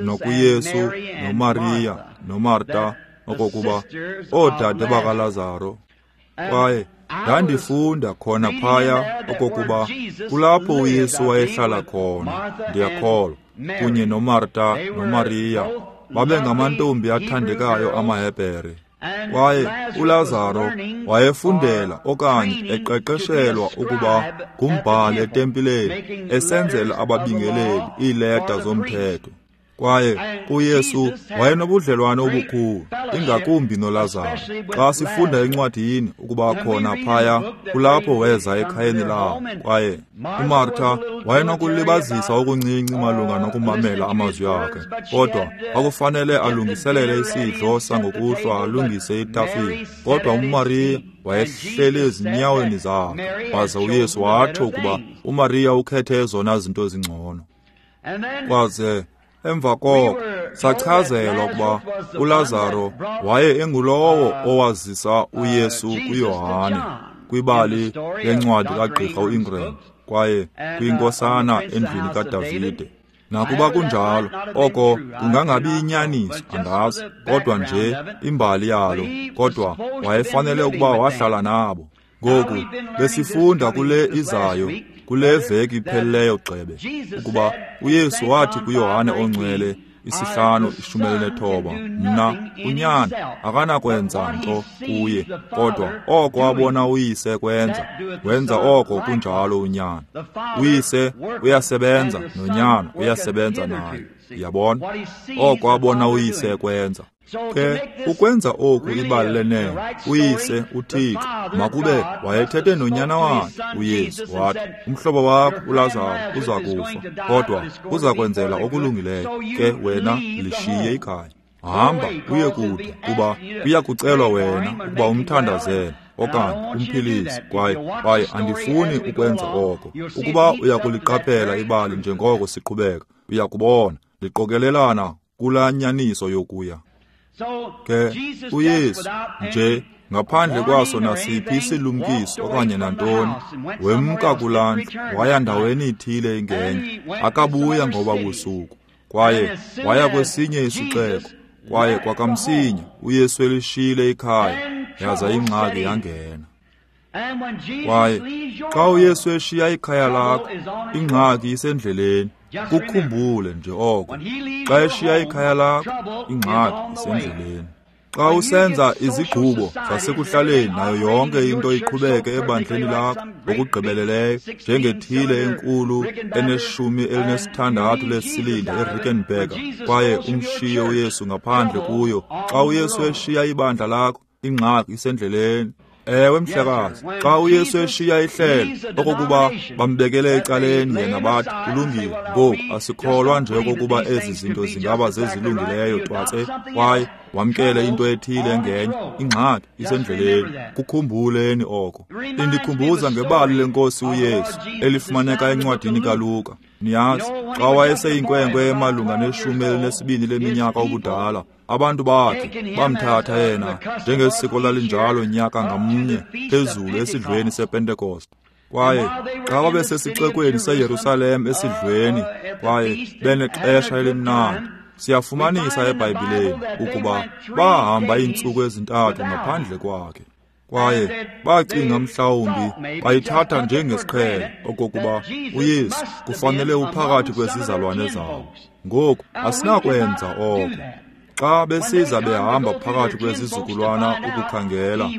nokuYesu noMariya noMarta, okokuba oodade bakaLazaro. Kwaye ndandifunda khona phaya okokuba kulapho uYesu wayehlala khona, ndiyakholwa, kunye noMarta noMariya. Babengamantombi athandekayo amaHebhere. Kwaye uLazaro wayefundela okanye eqeqeshelwa ukuba ngumbhali etempileni, esenzela ababingeleli iileta zomthetho. Kwaye uYesu wayenobudlelwane obukhulu, ingakumbi noLazaro. Xa sifunda encwadini ukuba khona phaya kulapho weza ekhayeni lawo. Kwaye uMarta wayenokulibazisa okuncinci malunga nokumamela amazwi akhe, kodwa kwakufanele alungiselele isidlo sangokuhlwa, alungise itafile. Kodwa uMariya wayehleli ezinyaweni zakhe, waza uYesu watsho ukuba uMariya ukhethe ezona zinto zingcono. Kwaze emva koko sachazelwa ukuba uLazaro waye engulowo owazisa uYesu kuYohane kwibali lencwadi kaGqirha uIngram kwaye kwinkosana endlwini kaDavide. Nakuba kunjalo, oko kungangabi inyaniso, andazi, kodwa nje imbali yalo, kodwa wayefanele ukuba wahlala nabo. Ngoku besifunda kule izayo, kule veki iphelileyo gxebe, ukuba uYesu wathi kuYohane oNgcwele 5:19, mna uNyana akanakwenza nto kuye, kodwa oko abona uYise kwenza, wenza oko kunjalo uNyana. UYise uyasebenza noNyana uyasebenza naye. Yabona? Oko abona uYise kwenza. Ke ukwenza oku ibali lenene, uYise uThixo makube wayethethe nonyana wakhe uYesu wathi, umhlobo wakho uLazaro uza kufa, kodwa uza kwenzela okulungileyo, ke wena lishiye ikhaya. Hamba uye kude, kuba kuya kucelwa wena ukuba umthandazele okanye umphilise, kwaye andifuni ukwenza oko. Ukuba uyakuliqaphela ibali njengoko siqhubeka, uyakubona liqokelelana kulaa nyaniso yokuya. Ke uYesu nje ngaphandle kwaso nasiphi isilumkiso okanye nantoni, wemka kulaa ndlu waya ndaweni ithile ingenye, akabuya ngoba busuku, kwaye waya kwesinye isixeko, kwaye kwakamsinya uYesu elishiyile ikhaya, yaza ingxaki yangena. Kwaye xa uYesu eshiya ikhaya lakho, ingxaki isendleleni. Kukhumbule nje oko. Xa eshiya ikhaya lakho, ingxaki isendleleni. Xa usenza izigqubo zasekuhlaleni nayo yonke into iqhubeke ebandleni lakho ngokugqibeleleyo, njengethile enkulu ene-16 lesilinda eRickenbacker, kwaye umshiye uYesu ngaphandle kuyo. Xa uYesu eshiya ibandla lakho, ingxaki isendleleni. Ewe mhlekazi, xa uYesu eshiya ihlelo okokuba bambekele ecaleni yena bathi kulungile, ngoku asikholwa nje okokuba ezi zinto zingaba zezilungileyo twatse, kwaye wamkele into ethile engenye, ingxaki isendleleni. Kukhumbuleni oko. Indikhumbuza ngebali lenkosi uYesu elifumaneka encwadini kaLuka. Niyazi, xa wayeseyinkwenkwe emalunga ne-12 leminyaka ubudala, abantu bakhe bamthatha yena njengesiko lalinjalo nyaka ngamnye phezulu esidlweni sePentekoste. Kwaye xa babesesixekweni seYerusalem esidlweni kwaye benexesha elimnandi, siyafumanisa eBhayibhileni ukuba bahamba iintsuku ezintathu ngaphandle kwakhe. Kwaye bacinga mhlawumbi bayithatha njengesiqhelo okokuba uYesu kufanele uphakathi kwezizalwane zabo. Ngoku asinakwenza oko. Xa besiza behamba phakathi kwezizukulwana ukukhangela,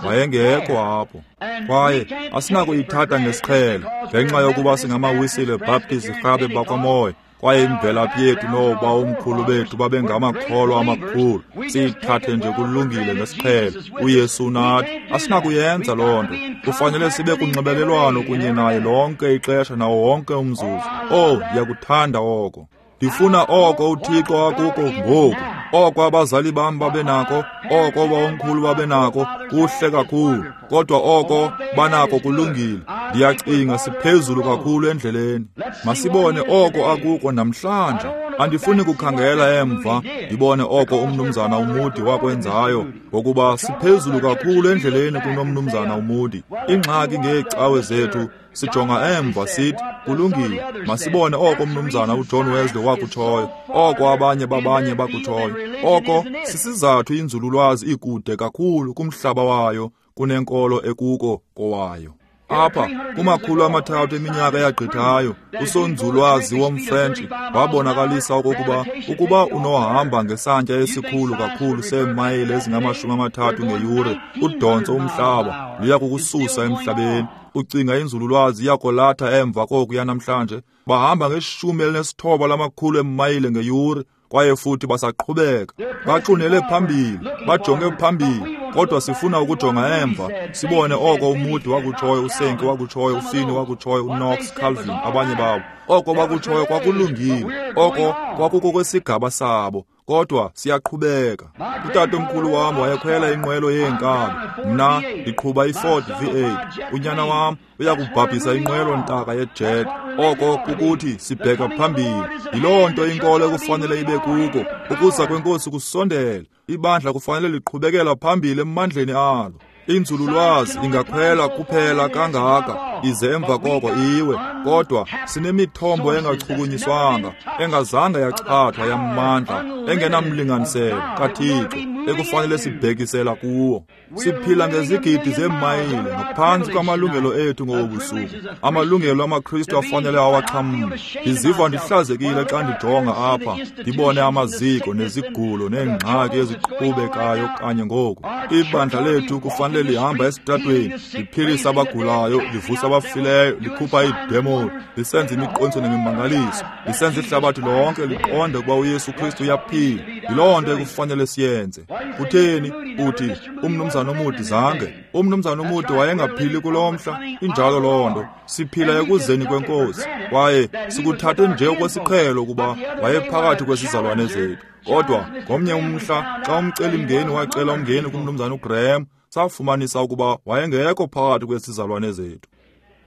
wayengekho apho. Kwaye asinakuyithatha ngesiqhelo ngenxa yokuba singamaWisile Baptist rhabe bakwamoya, kwaye imvelaphi yethu nooba omkhulu bethu babengamakholwa amakhulu. Siyithathe nje kulungile ngesiqhelo, uYesu nathi. Asinakuyenza loo nto. Kufanele sibe kunxibelelwano kunye naye lonke ixesha nawo wonke umzuzu. Oh, ndiyakuthanda oko. Ndifuna oko uThixo akuko ngoku, oko abazali bam babenako, oko bawomkhulu babenako, kuhle kakhulu, kodwa oko banako kulungile. Ndiyacinga siphezulu kakhulu endleleni. Masibone oko akuko namhlanje. Andifuni kukhangela emva ndibone oko umnumzana uMoody wakwenzayo, ngokuba siphezulu kakhulu endleleni kunomnumzana uMoody. Ingxaki ngeecawe zethu, sijonga emva sithi kulungile, masibone oko umnumzana uJohn Wesley wakutshoyo, oko abanye babanye bakutshoyo. Oko sisizathu inzululwazi ikude kakhulu kumhlaba wayo kunenkolo ekuko kowayo. Apha kuma-300 eminyaka eyagqithayo, usonzulwazi womFrentshi wabonakalisa okokuba ukuba unohamba ngesantya esikhulu kakhulu seemayile ezingama-30 ngeyure, udontso umhlaba luya kukususa emhlabeni. Ucinga inzululwazi iyakolatha emva kokuya namhlanje? Bahamba nge-19 lamakhulu eemayile ngeyure, kwaye futhi basaqhubeka, baxunele phambili, bajonge phambili. Kodwa sifuna ukujonga emva sibone oko uMoody wakutshoyo, uSenki wakutshoyo, uFini wakutshoyo, uKnox, Calvin, abanye babo. Oko bakutshoyo kwakulungile, oko kwakukokwesigaba sabo, Kodwa siyaqhubeka. Utatomkhulu wam wayekhwela inqwelo yeenkabi. Mna ndiqhuba iFord V8. Unyana wam uyakubhabhisa inqwelo ntaka yejet. Oko kukuthi sibheka phambili. Yiloo nto inkolo ekufanele ibe kuko. Ukuza kweNkosi kusondele. Ibandla kufanele liqhubekela phambili emandleni alo. Inzululwazi ingakhwela kuphela kangaka ize emva koko iwe, kodwa sinemithombo engachukunyiswanga, engazange yachathwa yamandla, engenamlinganiselo kaThixo ekufanele sibhekisela kuwo. Siphila ngezigidi zeemayile ngaphantsi kwamalungelo ethu ngobu busuku, amalungelo amaKristu afanele awaxhamle. Ndiziva ndihlazekile xa ndijonga apha ndibone amaziko nezigulo neengxaki eziqhubekayo kanye ngoku. Ibandla lethu kufanele lihamba esitratweni, liphilisa abagulayo, livusa abafileyo, likhupha iidemoni, lisenza imiqondiso nemimangaliso, lisenza ihlabathi lonke liqonde ukuba uYesu Kristu uyaphila. Yiloo nto ekufanele siyenze. Kutheni uthi umnumzana uMoody zange? Umnumzana uMoody wayengaphili kulo mhla. Injalo loo nto. Siphila ekuzeni kweNkosi, kwaye sikuthathe nje okwesiqhelo ukuba wayephakathi kwesizalwane zethu. Kodwa ngomnye umhla xa umcelimngeni wacela umngeni kumnumzana uGraham, safumanisa ukuba wayengekho phakathi kwesizalwane zethu.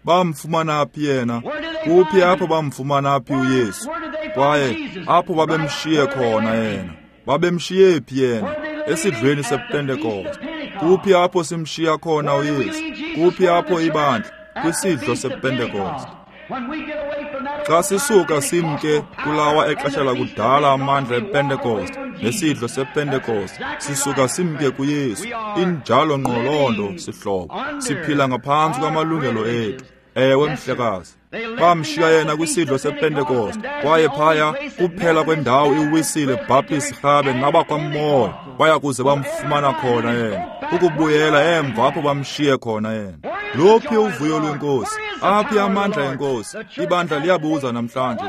Bamfumana phi yena? Kuphi apho bamfumana phi uYesu? Kwaye apho babemshiye khona yena? Babemshiye phi yena? Esidlweni sePentekoste. Kuphi apho simshiya khona uYesu? Kuphi apho ibandla? Kwisidlo sePentekoste. Xa sisuka simke kulawa exesha lakudala amandla ePentekoste nesidlo sePentekoste, sisuka simke kuYesu. Injalo ngqo loo nto, sihlobo. Siphila ngaphantsi kwamalungelo ethu. Ewe, mhlekazi. Bamshiya yena kwisidlo sePentekoste, kwaye phaya kuphela kwendawo iWisile Baptist Rhabe nabakwaMoya baya kuze bamfumana khona yena, kukubuyela emva apho bamshiye khona yena. Luphi uvuyo lweNkosi? Aphi amandla enkosi? Ibandla liyabuza namhlanje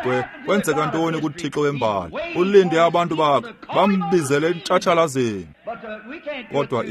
kwenzeka ntoni kuThixo wembali? Ulinde abantu bakhe bambizele entshatshalazeni. Kodwa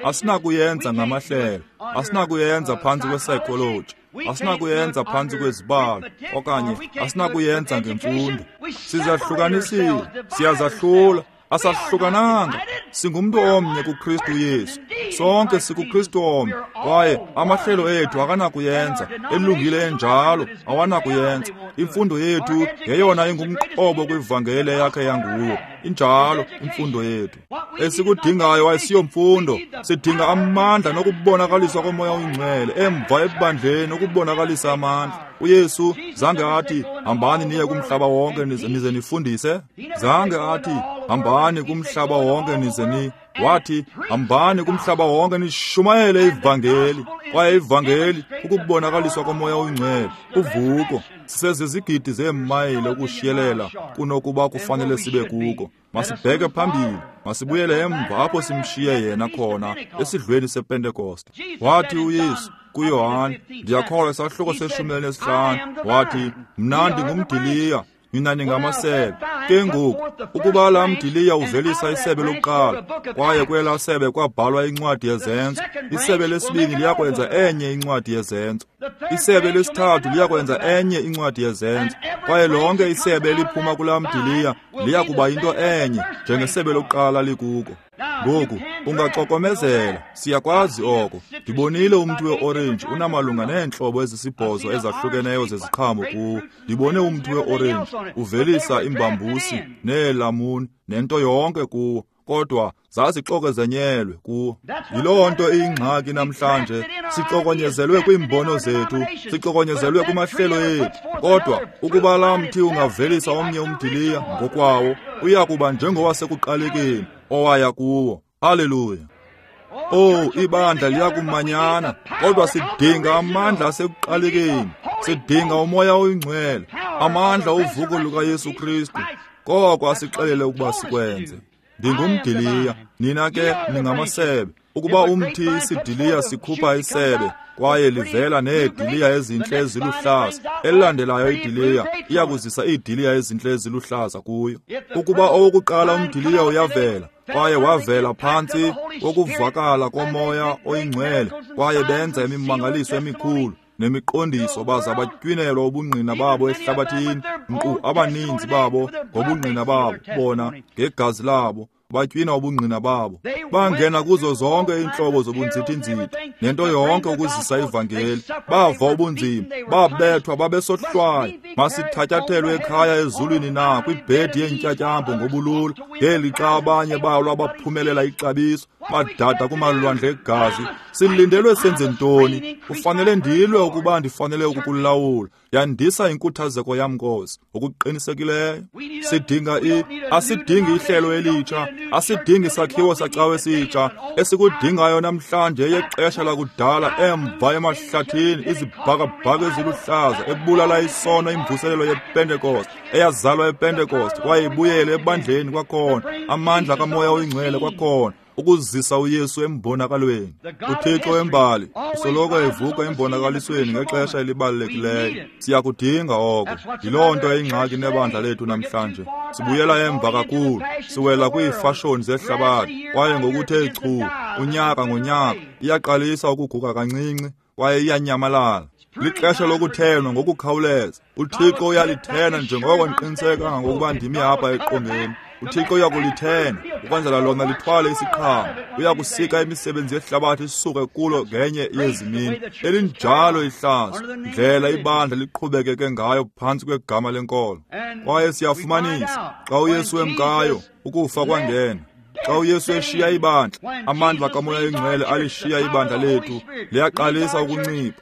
asinakuyenza ngamahlelo, asinakuyenza phantsi kwepsychology, asinakuyenza phantsi kwezibalo, okanye asinakuyenza ngemfundo. Sizahlukanisile, siyazahlula. Asahlukananga, singumntu omnye kuKristu Yesu. Sonke sikuKristu omnye, kwaye amahlelo ethu akanakuyenza, elungile enjalo awanakuyenza. Imfundo yethu yeyona ingumqobo kwivangeli yakhe yanguwo. Injalo imfundo yethu. Esikudingayo ayisiyomfundo, sidinga amandla nokubonakaliswa koMoya oyiNgcwele emva ebandleni ukubonakalisa amandla. uYesu zange athi hambani niye kumhlaba wonke nize nifundise. Zange athi hambani kumhlaba wonke nize ni. Wathi hambani kumhlaba wonke nishumayele ivangeli. Kwaye ivangeli ukubonakaliswa koMoya oyiNgcwele, uvuko. Sisezizigidi zeemayile ukushiyelela kunokuba kufanele sibe kuko. Masibheke phambili, masibuyele emva apho simshiye yena khona esidlweni sePentekoste. Wathi uYesu kuYohane, ndiyakholwa isahluko se-15, wathi mna ndingumdiliya, nina ningamasebe. Ke ngoku ukuba laa mdiliya uvelisa isebe lokuqala, kwaye kwelaa sebe kwabhalwa incwadi yeZenzo, isebe lesibini liyakwenza enye incwadi yeZenzo, isebe lesithathu liyakwenza enye incwadi yeZenzo, kwaye lonke isebe eliphuma kulaa mdiliya liyakuba yinto enye njengesebe lokuqala likuko. Ngoku ungaxokomezela, siyakwazi oko. Ndibonile umthi weorenji unamalunga neentlobo ezisibhozo ezahlukeneyo zeziqhamo kuwo. Ndibone umthi weorenji uvelisa imbambusi neelamuni nento yonke kuwo, kodwa zazixokezenyelwe kuwo. Yiloo nto iyingxaki namhlanje, sixokonyezelwe kwiimbono zethu, sixokonyezelwe kumahlelo ethu. Kodwa ukuba laa mthi ungavelisa omnye umdiliya ngokwawo, uya kuba njengowasekuqalekeni owaya kuwo. Haleluya! Oh, ibandla liyakumanyana, kodwa sidinga amandla asekuqalekeni, sidinga uMoya oyiNgcwele, amandla ovuko lukaYesu Kristu. Koko asixelele ukuba sikwenze. Ndingumdiliya, nina ke ningamasebe. Ukuba umthi isidiliya sikhupha isebe, kwaye livela neediliya ezintle eziluhlaza, elilandelayo idiliya iyakuzisa iidiliya ezintle eziluhlaza kuyo. Ukuba owokuqala umdiliya uyavela, kwaye wavela phantsi kokuvakala koMoya oyiNgcwele, kwaye benza imimangaliso emikhulu, nemiqondiso baza batywinelwa ubungqina babo ehlabathini, nkqu abaninzi babo ngobungqina babo, bona ngegazi labo batywina ubungqina babo. Bangena kuzo zonke iintlobo zobunzithinzithi nento yonke ukuzisa ivangeli. Bava ubunzima, babethwa, babesohlwaywa. Masithatyathelwe ekhaya ezulwini na kwibhedi yeentyatyambo ngobulula, ngelixa abanye balwa baphumelela ixabiso, badada kumalwandle egazi. Silindelwe senze ntoni? Kufanele ndilwe ukuba ndifanele ukukulawula. Yandisa inkuthazeko yam, Nkosi, ngokuqinisekileyo. Sidinga asidingi ihlelo elitsha, asidingi sakhiwo sacawe esitsha. Esikudingayo namhlanje yexesha lakudala emva emahlathini, izibhakabhaka eziluhlaza, ebulala isono, imvuselelo yePentecost eyazalwa ePentecost kwaye ibuyele ebandleni kwakhona, amandla kaMoya oyiNgcwele kwakhona, ukuzisa uYesu embonakalweni. UThixo wembali usoloko evuka embonakalisweni ngexesha elibalulekileyo. Siyakudinga oko. Yiloo nto eyingxaki nebandla lethu namhlanje. Sibuyela emva kakhulu, siwela kwiifashoni zehlabathi, kwaye ngokuthe chu unyaka ngonyaka iyaqalisa ukuguga kancinci kwaye iyanyamalala. Lixesha lokuthenwa ngokukhawuleza. UThixo uyalithena njengoko ndiqiniseka ngokuba ndimi apha eqongeni. UThixo uyakulithena ukwenzela lona lithwale isiqhamo. Uyakusika imisebenzi yehlabathi isuke kulo ngenye yezi mini. Elinjalo ihlazo, ndlela ibandla liqhubekeke ngayo phantsi kwegama lenkolo. Kwaye siyafumanisa xa uYesu emkayo, ukufa kwangena. Xa uYesu eshiya ibandla, amandla kaMoya oyiNgcwele alishiya ibandla lethu, liyaqalisa ukuncipha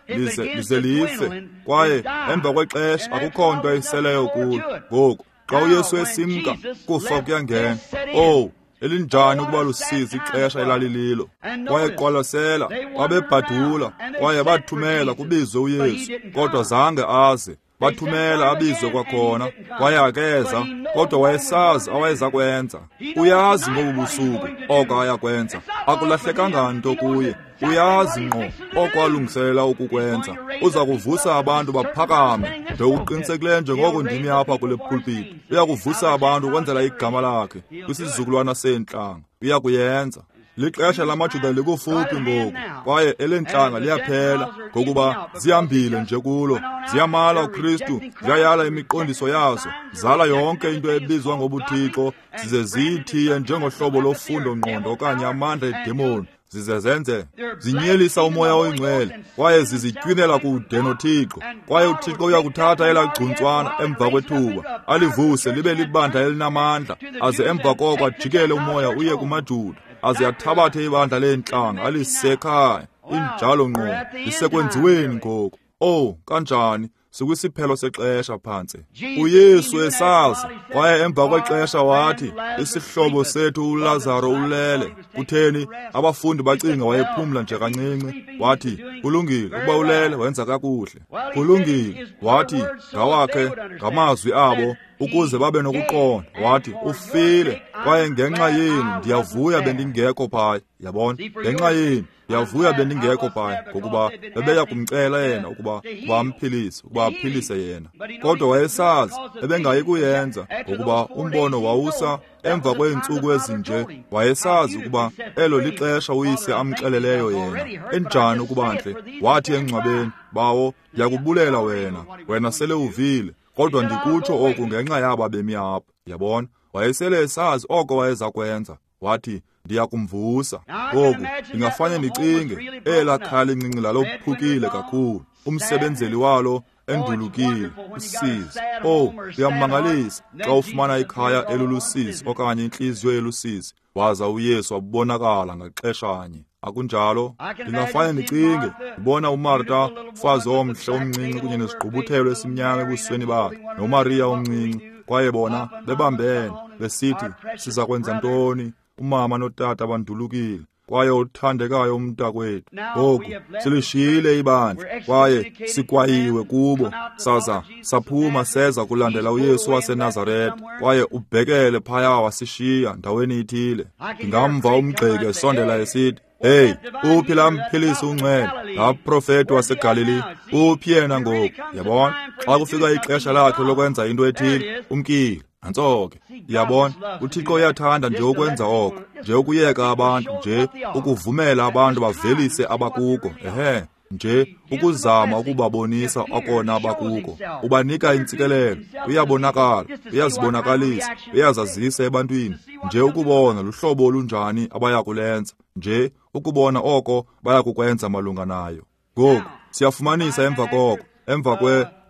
lize life. Kwaye emva kwexesha akukho nto iseleyo kulo. Ngoku xa uYesu esimka, kufa kuyangena. Oh, elinjani ukuba lusizi ixesha elalililo. Kwaye qwalasela, babebhadula kwaye bathumela kubizwe uYesu, kodwa zange aze. Bathumela abizwe kwakhona, kwaye akeza, kodwa wayesazi awayeza kwenza. Uyazi ngobu busuku oko ayakwenza. Akulahlekanga nto kuye. Uyazi ngqo oko alungiselela ukukwenza. Uza kuvusa abantu baphakame ngokuqinisekileyo njengoko ndimi apha kule pulpit. Uya kuvusa abantu ukwenzela igama lakhe kwisizukulwana seentlanga. Uya kuyenza. Lixesha lamaJuda likufuphi ngoku, kwaye elentlanga liyaphela, ngokuba zihambile nje kulo. Ziyamala uKristu, ziyayala imiqondiso yazo, zala yonke into ebizwa ngobuthixo, zize ziyithiye njengohlobo lofundo ngqondo okanye amandla edemoni, zize zenze zinyelisa uMoya oyiNgcwele, kwaye zizitywinela kude noThixo. Kwaye uThixo uyakuthatha elaa gcuntswana emva kwethuba, alivuse libe libandla elinamandla, aze emva koko ajikele umoya uye kumaJuda, aze athabathe ibandla leentlanga alise ekhaya. Injalo ngqo, lisekwenziweni ngoku. Oh, kanjani sikwisiphelo sexesha phantse. uYesu esazi, kwaye emva kwexesha wathi, isihlobo sethu uLazaro ulele. Kutheni? Abafundi bacinga wayephumla nje kancinci. Wathi, kulungile, ukuba ulele wenza kakuhle. Kulungile, wathi ngawakhe ngamazwi abo ukuze babe nokuqonda. Wathi, ufile, kwaye ngenxa yenu ndiyavuya bendingekho phaya. Yabona, ngenxa yenu ndiyavuya bendingekho phaya, ngokuba bebeya kumcela yena ukuba amphilise, ukuba aphilise yena. Kodwa wayesazi ebengayi kuyenza, ngokuba umbono wawusa emva kweentsuku ezinje. Wayesazi ukuba elo lixesha uyise amxeleleyo yena. Enjani ukuba ntle! Wathi engcwabeni, Bawo, ndiyakubulela wena, wena sele uvile, kodwa ndikutsho oku ngenxa yaba bemi apha. Yabona, wayesele esazi oko wayeza kwenza. Wathi, ndiyakumvusa. Ngoku ndingafane ndicinge elaa khaya lincinci lalophukile kakhulu, umsebenzeli walo endulukile, usizi. Oh, kuyamangalisa xa ufumana ikhaya elulusizi okanye intliziyo elusizi, waza uYesu wabonakala ngaxeshanye. Akunjalo? Ndingafane ndicinge ndibona uMarta, umfazi omhle omncinci kunye nesigqubuthelo esimnyama ebusweni bakhe, noMariya omncinci, kwaye bona bebambene besithi, siza kwenza ntoni? Umama notata bandulukile, kwaye uthandekayo umntakwethu. Ngoku silishiyile ibandla kwaye sikwayiwe kubo, saza saphuma seza kulandela uYesu waseNazarete, kwaye ubhekele phaya wasishiya ndaweni ithile. Ndingamva umgxeki esondela esithi, hey, uphi laa mphilisi ungcwele, laa profeti waseGalili? Uphi yena ngoku? Yabona, xa kufika ixesha lakhe lokwenza into ethile, umkile. Nantso ke, yabona, uThixo uyathanda nje ukwenza oko, nje ukuyeka abantu, nje ukuvumela abantu bavelise abakuko. Ehe, Nje ukuzama ukubabonisa okona bakuko. Ubanika intsikelelo, uyabonakala, uyazibonakalisa, uyazazisa ebantwini. Nje ukubona luhlobo olunjani abayakulenza, nje ukubona oko bayakukwenza malunga nayo. Ngoku siyafumanisa emva koko, emva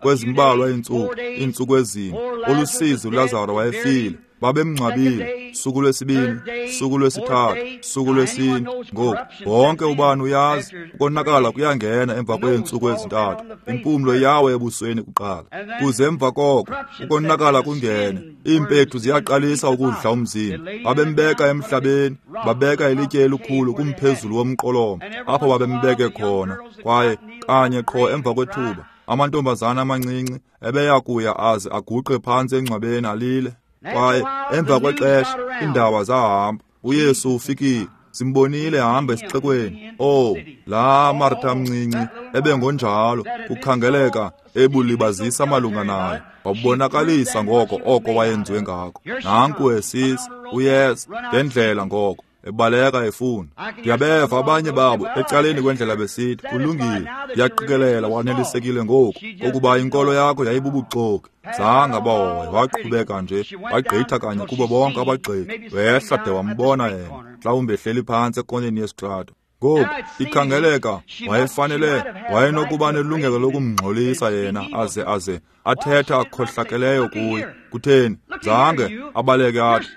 kwezimbalwa iintsuku ezine, olusizi uLazaro wayefile. Babemngcwabile, suku lwesibini, suku lwesithathu, suku lwesine. Ngoku wonke ubani uyazi ukonakala kuyangena emva kweentsuku ezintathu. Impumlo yawe ebusweni kuqala, kuze emva koko ukonakala kungene. Iimpethu ziyaqalisa ukudla umzimba. Babembeka emhlabeni, babeka ilitye elikhulu kumphezulu womqolomo apho babembeke khona. Kwaye kanye qho emva kwethuba amantombazana amancinci ebeya kuya aze aguqe phantsi engcwabeni alile. Kwaye emva kwexesha iindaba zahamba. uYesu ufikile, simbonile ehamba esixekweni. Oh, laa Martha mncinci ebengonjalo, kukhangeleka ebulibazisa malunga naye. Wabubonakalisa ngoko oko wayenziwe ngako. Nanku esisa, uyeza ngendlela ngoko, ebaleka efuna. Ndiyabeva abanye babo ecaleni kwendlela besithi, kulungile, ndiyaqikelela wanelisekile ngoku ukuba inkolo yakho yayibubuxoki. Zange abahoye, waqhubeka nje, wagqitha kanye kubo bonke abagxeki, wehla de wambona yena, mhlawumbi ehleli phantsi ekoneni yesitrato. Ngoku ikhangeleka wayefanele, wayenokuba nelungelo lokumngxolisa yena aze athetha akhohlakeleyo kuye. Kutheni? Zange abaleke athi,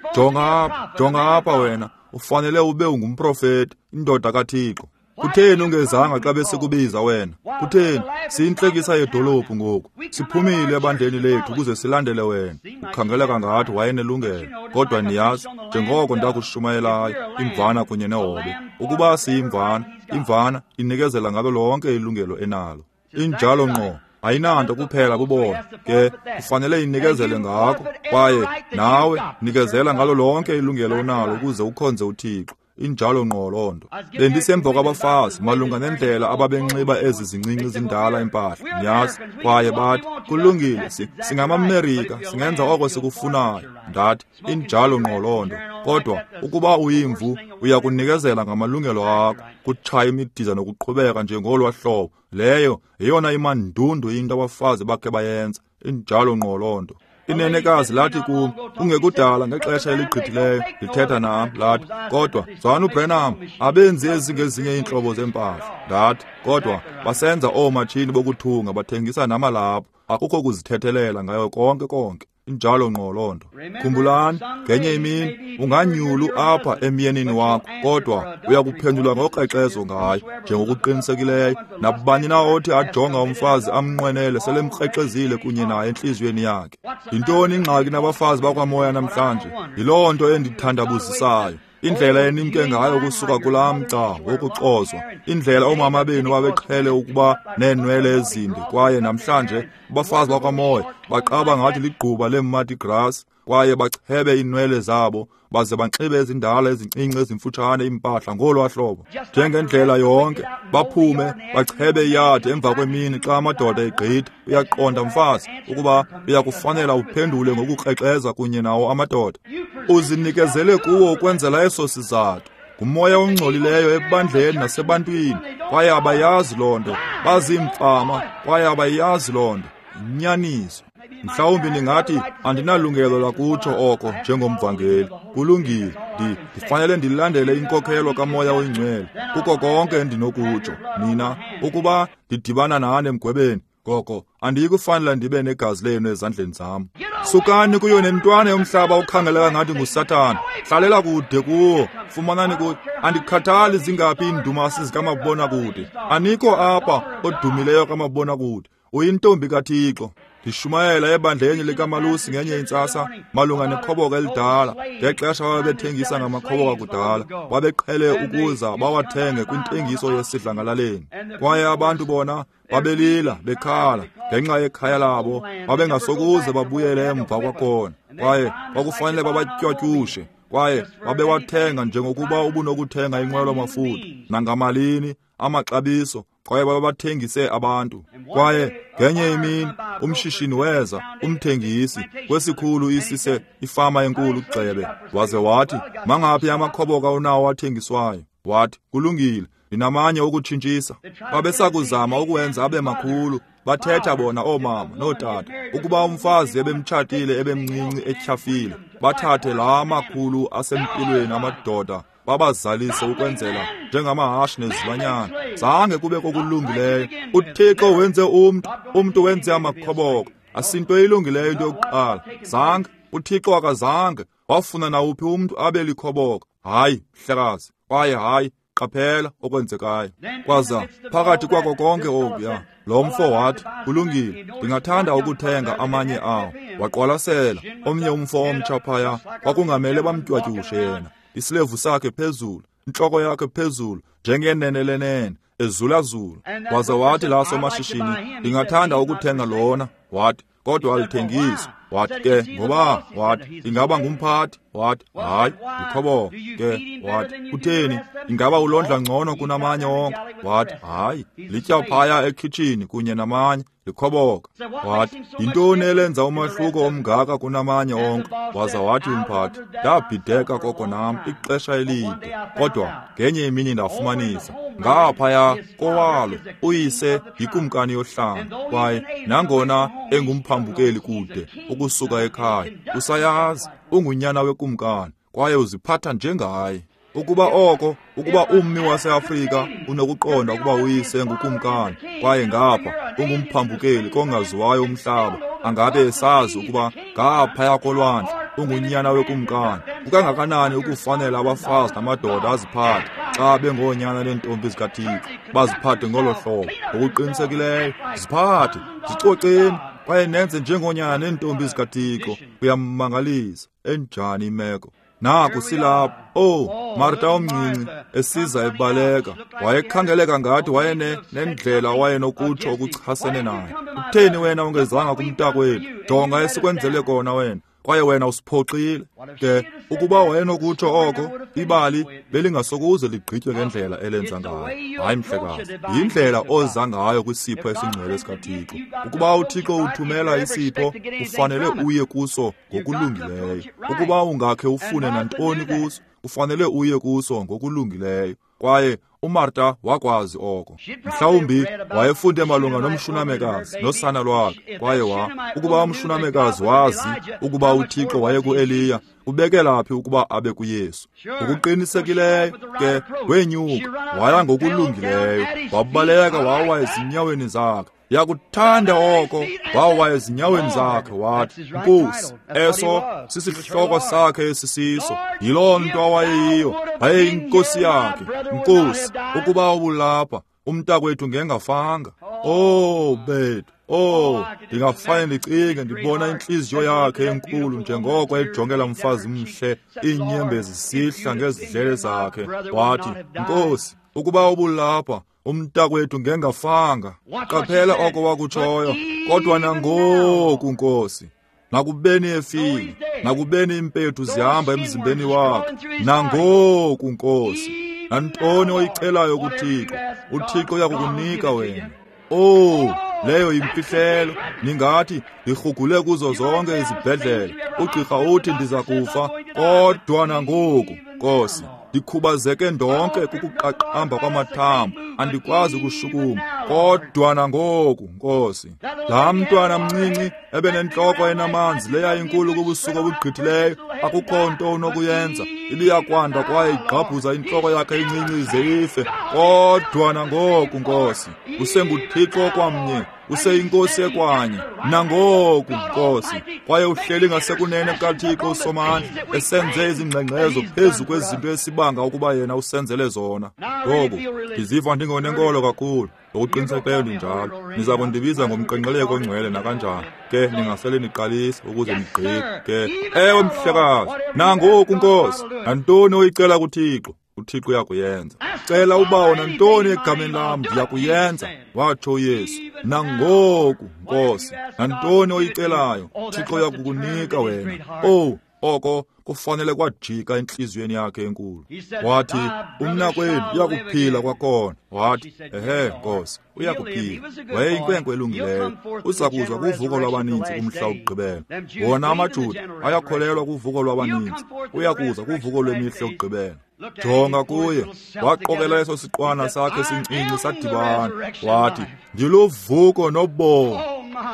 jonga apha wena, ufanele ube ungumprofeti, indoda kaThixo. Kutheni ungezanga xa besikubiza wena? Kutheni? Siyintlekisa yedolophu ngoku. Siphumile ebandleni lethu ukuze silandele wena. Ukhangeleka ngathi wayenelungelo, kodwa niyazi, njengoko ndakushumayelayo, imvana kunye nehobe. Ukuba siyimvana, imvana inikezela ngalo lonke ilungelo enalo. Injalo ngqo. Ayinanto kuphela kubona ke, kufanele inikezele ngako. Kwaye nawe nikezela ngalo lonke ilungelo onalo ukuze ukhonze uThixo. Injalo ngqo loo nto. Bendisemva kwabafazi malunga nendlela ababenxiba ezi zincinci zindala impahla, niyazi. Kwaye bathi, kulungile, singamaMerika, singenza oko sikufunayo. Ndathi, injalo ngqo loo nto. Kodwa ukuba uyimvu, uya kunikezela ngamalungelo akho, kutshaya imidiza nokuqhubeka nje ngolwa hlobo. Leyo yeyona imandundu into abafazi bakhe bayenza. Injalo ngqo loo nto. Inenekazi lathi kum kungekudala ngexesha eligqithileyo, lithetha nam, lathi, kodwa Zwana uBrenham, abenzi ezingezinye iintlobo zempahla. Ndathi, kodwa basenza oomatshini bokuthunga, bathengisa namalaphu. Akukho kuzithethelela ngayo konke konke. Injalo ngqo loo nto. Khumbulani, ngenye imini unganyulu apha emyenini wakho, kodwa uyakuphendula ngokrexezo ngayo njengokuqinisekileyo. Nabani na othi ajonga umfazi amnqwenele selemkrexezile kunye naye entliziyweni yakhe. Yintoni ingxaki nabafazi bakwamoya namhlanje? Yiloo nto endithandabuzisayo. Indlela enimke ngayo kusuka kulaa mgca wokucozwa, indlela oomama benu babeqhele ukuba neenwele ezinde, kwaye namhlanje abafazi bakwamoya baqaba ngathi ligquba leeMardi Gras, kwaye bachebe iinwele zabo baze banxibe ezindala ezincinci ezimfutshane iimpahla ngolwa hlobo, njengendlela yonke, baphume bachebe iyadi emva kwemini xa amadoda egqitha. Uyaqonda mfazi ukuba uyakufanela uphendule ngokukrexeza kunye nawo amadoda. Uzinikezele kuwo ukwenzela eso sizathu. Ngumoya ongcolileyo ebandleni nasebantwini, kwaye abayazi loo nto. Baziimfama kwaye abayazi loo nto. Inyaniso. Mhlawumbi ningathi andinalungelo lakutsho oko njengomvangeli. Kulungile, ndifanele ndilandele inkokhelo kaMoya oyiNgcwele kuko konke endinokutsho. Nina, ukuba ndidibana nani emgwebeni, ngoko andiyikufanela ndibe negazi lenu ezandleni zam. Sukani kuyo nentwana yomhlaba okhangeleka ngathi nguSathana. Hlalela kude kuwo, fumanani kuyo. Andikhathali zingaphi iindumasi zikamabonakude. Anikho apha odumileyo kamabonakude. Uyintombi kaThixo. Ndishumayela ebandleni likamalusi ngenye intsasa malunga nekhoboka elidala. Ngexesha babethengisa ngamakhoboka kudala, babeqhele ukuza bawathenge kwintengiso yesidlangalaleni. Kwaye abantu bona babelila bekhala ngenxa yekhaya labo, babengasokuze babuyele emva kwakhona. Kwaye kwakufanele babatywatyushe, kwaye babewathenga njengokuba ubunokuthenga inqwelo-mafutha nangamalini amaxabiso, kwaye babathengise abantu. Kwaye ngenye imini umshishini weza, umthengisi kwesikhulu isise ifama enkulu gxebe, waze wathi, mangaphi amakhoboka unawo athengiswayo? Wathi, kulungile, Ndinamanye ukutshintshisa. Babesakuzama ukuwenza abe makhulu. Bathetha bona oomama nootata ukuba umfazi ebemtshatile ebemncinci etyhafile, bathathe laa makhulu asempilweni amadoda babazalise ukwenzela njengamahashe nezilwanyana. Zange kube kokulungileyo. UThixo wenze umntu, umntu wenze amakhoboka. Asinto ilungileyo into yokuqala. Zange uThixo akazange wafuna nawuphi umntu abe likhoboka. Hayi, mhlekazi, kwaye hayi. Qaphela okwenzekayo. Kwaza phakathi kwako konke okuya, lo mfo wathi, kulungile, ndingathanda ukuthenga amanye awo. Waqwalasela omnye umfo omtsha phaya, kwakungamele bamtywatyushe yena. Isilevu sakhe phezulu, intloko yakhe phezulu, njengenene lenene, ezulazula. Waza wathi laa somashishini, ndingathanda ukuthenga lona. Wathi, kodwa alithengiswa. Wathi ke, ngoba? Wathi, ingaba ngumphathi? Wathi, hayi, ndikhoboka. Ke, wathi, kutheni? Ingaba ulondla ngcono kunamanye onke? Wathi, hayi, litya phaya ekhitshini kunye namanye, likhoboka. Wathi, yintoni elenza umahluko omngaka kunamanye onke? Waza wathi umphathi, ndabhideka koko nam ixesha elide, kodwa ngenye imini ndafumanisa ngaphaya kowalo uyise yikumkani yohlanga, kwaye nangona engumphambukeli kude ukusuka ekhaya, usayazi ungunyana wekumkani kwaye uziphatha njengaye. Ukuba oko, ukuba ummi waseAfrika unokuqonda ukuba uyise ngukumkani kwaye ngapha ungumphambukeli kongaziwayo umhlaba, angabe esazi ukuba ngaphaya kolwandle ungunyana wekumkani, kukangakanani ukufanela abafazi namadoda aziphathe xa bengoonyana neentombi zikaThixo, baziphathe ngolo hlobo. Ngokuqinisekileyo, ziphathe, zicoceni kwaye nenze njengoonyana neentombi zikaThixo. Uyamangalisa, enjani imeko. Naku silapha. Oh, Marta omncinci esiza ebaleka, wayekhangeleka ngathi wayene nendlela wayenokutsho okuchasene naye. Utheni wena ungezanga kumntakwethu? Jonga esikwenzele kona wena, kwaye wena usiphoxile. Ke ukuba wayenokutsho oko, ibali belingasokuze ligqitywe ngendlela elenza ngayo. Hayi mhlekazi, yindlela oza ngayo kwisipho esingcwele sikaThixo. Ukuba uThixo uthumela isipho, ufanele uye kuso ngokulungileyo. Ukuba ungakhe ufune nantoni kuso, ufanele uye kuso ngokulungileyo. Kwaye uMarta wakwazi oko. Mhlawumbi wayefunde malunga nomshunamekazi nosana lwakhe, kwaye ukuba umshunamekazi wazi ukuba uThixo wayekuEliya, ubekela phi ukuba abe kuYesu? Ngokuqinisekileyo ke wenyuka waya ngokulungileyo, wabaleka wawa ezinyaweni zakhe. Yakuthanda oko, wawa ezinyaweni zakhe, wathi, Nkosi, eso sisihloko sakhe esisiso. Yiloo nto awayeyiyo, wayeyinkosi yakhe. Nkosi, ukuba ubulapha, umntakwethu ngengafanga. Oh, bethu. Oh, ndingafane ndicinge ndibona intliziyo yakhe enkulu njengoko ejongela mfazi mhle, iinyembezi zisihla ngezidlele zakhe. Wathi, Nkosi, ukuba ubulapha, umntakwethu ngengafanga. Qaphela oko wakutshoyo. Kodwa nangoku, Nkosi, nakubeni efile, nakubeni impethu zihamba emzimbeni wakhe, nangoku, Nkosi, nantoni oyicelayo kuThixo, uThixo uyakukunika wena. Oh, leyo yimfihlelo. Ningathi ndirhugule kuzo zonke izibhedlele, ugqirha uthi ndiza kufa, kodwa nangoku, Nkosi, ndikhubazeke ndonke kukuqaqamba kwamathambo, andikwazi ukushukuma, kodwa nangoku, Nkosi, laa mntwana mncinci ebenentloko enamanzi leya inkulu kubusuku obugqithileyo, akukho nto unokuyenza, ibiyakwanda kwaye igqabhuza intloko yakhe incinci ize ife, kodwa nangoku, Nkosi, usenguThixo kwamnye, useyinkosi ekwanye, nangoku, Nkosi, kwaye uhleli ngasekunene kukaThixo uSomandla, esenze izingxengxezo phezu kwezinto esibanga ukuba yena usenzele zona. Ngoku ndiziva ndingonenkolo kakhulu, ngokuqinisekileyo ndinjalo. Niza kundibiza ngomqenqeleko ongcwele nakanjani ke, ningasele niqalise ukuze nigqithe ke. Ewe mhlekazi, nangoku, Nkosi, nantoni oyicela kuThixo, uThixo uyakuyenza. Cela ubawo nantoni egameni lam, ndiyakuyenza, watsho uYesu. Nangoku, Nkosi, nantoni oyicelayo, uThixo uyakukunika wena. Oh, oko Kufanele kwajika entliziyweni yakhe enkulu. Wathi, umnakwenu uyakuphila kwakhona. Wathi, ehe, Nkosi, uyakuphila. Wayeyinkwenkwe elungileyo. Uza kuza kuvuko lwabaninzi kumhla wokugqibela. Wona amaJuda ayakholelwa kuvuko lwabaninzi. Uyakuza kuvuko lwemihla yokugqibela. Jonga kuye, waqokela eso siqwana sakhe sincinci sadibana. Wathi, ndiluvuko nobomi.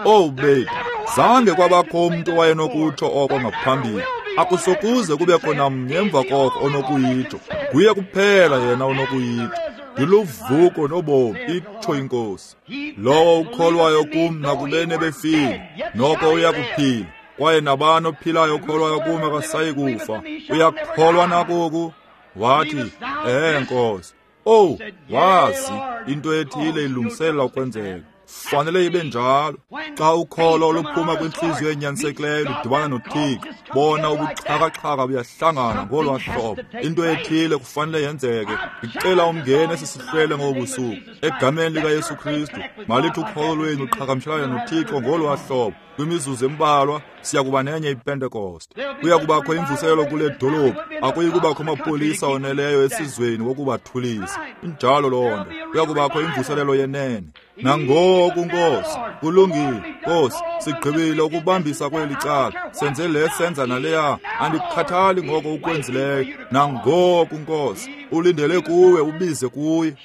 Owu bethu, zange kwabakho umntu owayenokutsho oko ngaphambili. Akusokuze kubekho namnye emva koko onokuyitsho. Nguye kuphela yena onokuyitsho. Ndiluvuko nobomi, itsho iNkosi. Lowo ukholwayo kum nakubeni ebefile, noko uyakuphila. Kwaye nabani ophilayo okholwayo kum akasayi kufa. Uyakholwa nakoku? Wathi, ehe, Nkosi. Owu, wazi into ethile ilungiselela ukwenzeka. Fanele ibe njalo. Xa ukholo oluphuma kwintliziyo enyanisekileyo ludibana noThixo, bona ubuxhakaxhaka buyahlangana ngolwa hlobo. Into ethile kufanele yenzeke. Ndicela umngene esi sihlwele ngobu busuku. Egameni likaYesu Kristu, malithi ukholo lwenu luqhagamshelane noThixo ngolwa hlobo. Kwimizuzu embalwa siya kuba nenye iPentekoste. Kuya kubakho imvuselelo kule dolophu. Akuyi kubakho amapolisa oneleyo esizweni wokubathulisa. Injalo loo nto. Kuya kubakho imvuselelo yenene. Nangoku, Nkosi, kulungile, Nkosi, sigqibile ukubambisa kweli cala. Senze le senza naleya. Andikhathali ngoko ukwenzileyo. Nangoku, Nkosi, ulindele kuwe, ubize kuye.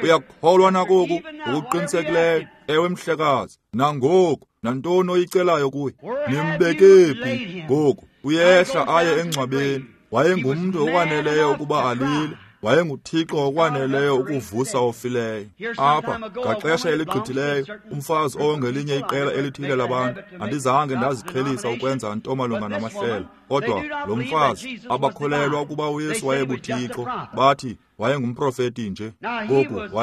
Uyakholwa nakoku ngokuqinisekileyo. Ewe, mhlekazi. Nangoku, nantoni oyicelayo kuye? Nimbeke phi? Ngoku uyehla aye engcwabeni. Wayengumntu okwaneleyo ukuba alile. WayenguThixo okwaneleyo ukuvusa ofileyo. Apha ngaxesha eligqithileyo, umfazi ongelinye iqela elithile labantu, andizange ndaziqhelisa ukwenza nto malunga namahlelo, kodwa lo mfazi abakholelwa ukuba uYesu wayebuThixo, bathi wayengumprofeti nje. Ngoku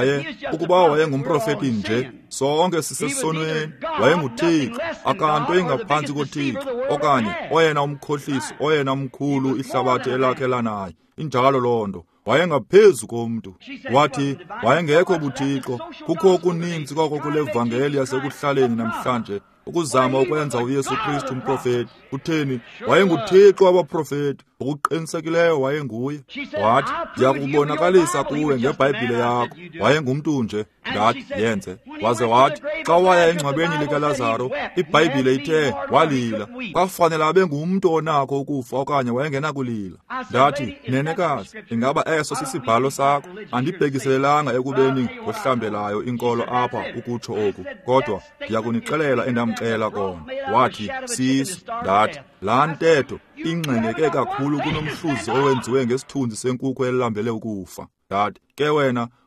ukuba wayengumprofeti nje, sonke sisesonweni. WayenguThixo, akanto ingaphantsi koThixo, okanye oyena umkhohlisi, oyena mkhulu ihlabathi elakhe lanaye. Injalo loo nto. Wayengaphezu komntu. Wathi wayengekho buThixo. Kukho okuninzi koko kule vangeli yasekuhlaleni namhlanje, ukuzama ukwenza uYesu Kristu umprofeti. Kutheni? WayenguThixo wabaprofeti. Ngokuqinisekileyo wayenguye. Wathi, ndiyakubonakalisa kuwe ngeBhayibhile yakho. Wayengumntu nje. Ndathi, yenze. Waze wathi, xa waya engcwabeni likaLazaro, iBhayibhile ithe walila. Kwafanele abe ngumntu onakho ukufa okanye wayengenakulila. Ndathi, nenekazi, ingaba eso sisibhalo sakho? Andibhekiselelanga ekubeni ngohlambelayo inkolo apha ukutsho oku, kodwa ndiyakunixelela endamxela kona. Wathi, siso. Ndathi, laa ntetho ingxengeke kakhulu kunomhluzi owenziwe ngesithunzi senkukhu elambele ukufa. Ndathi, ke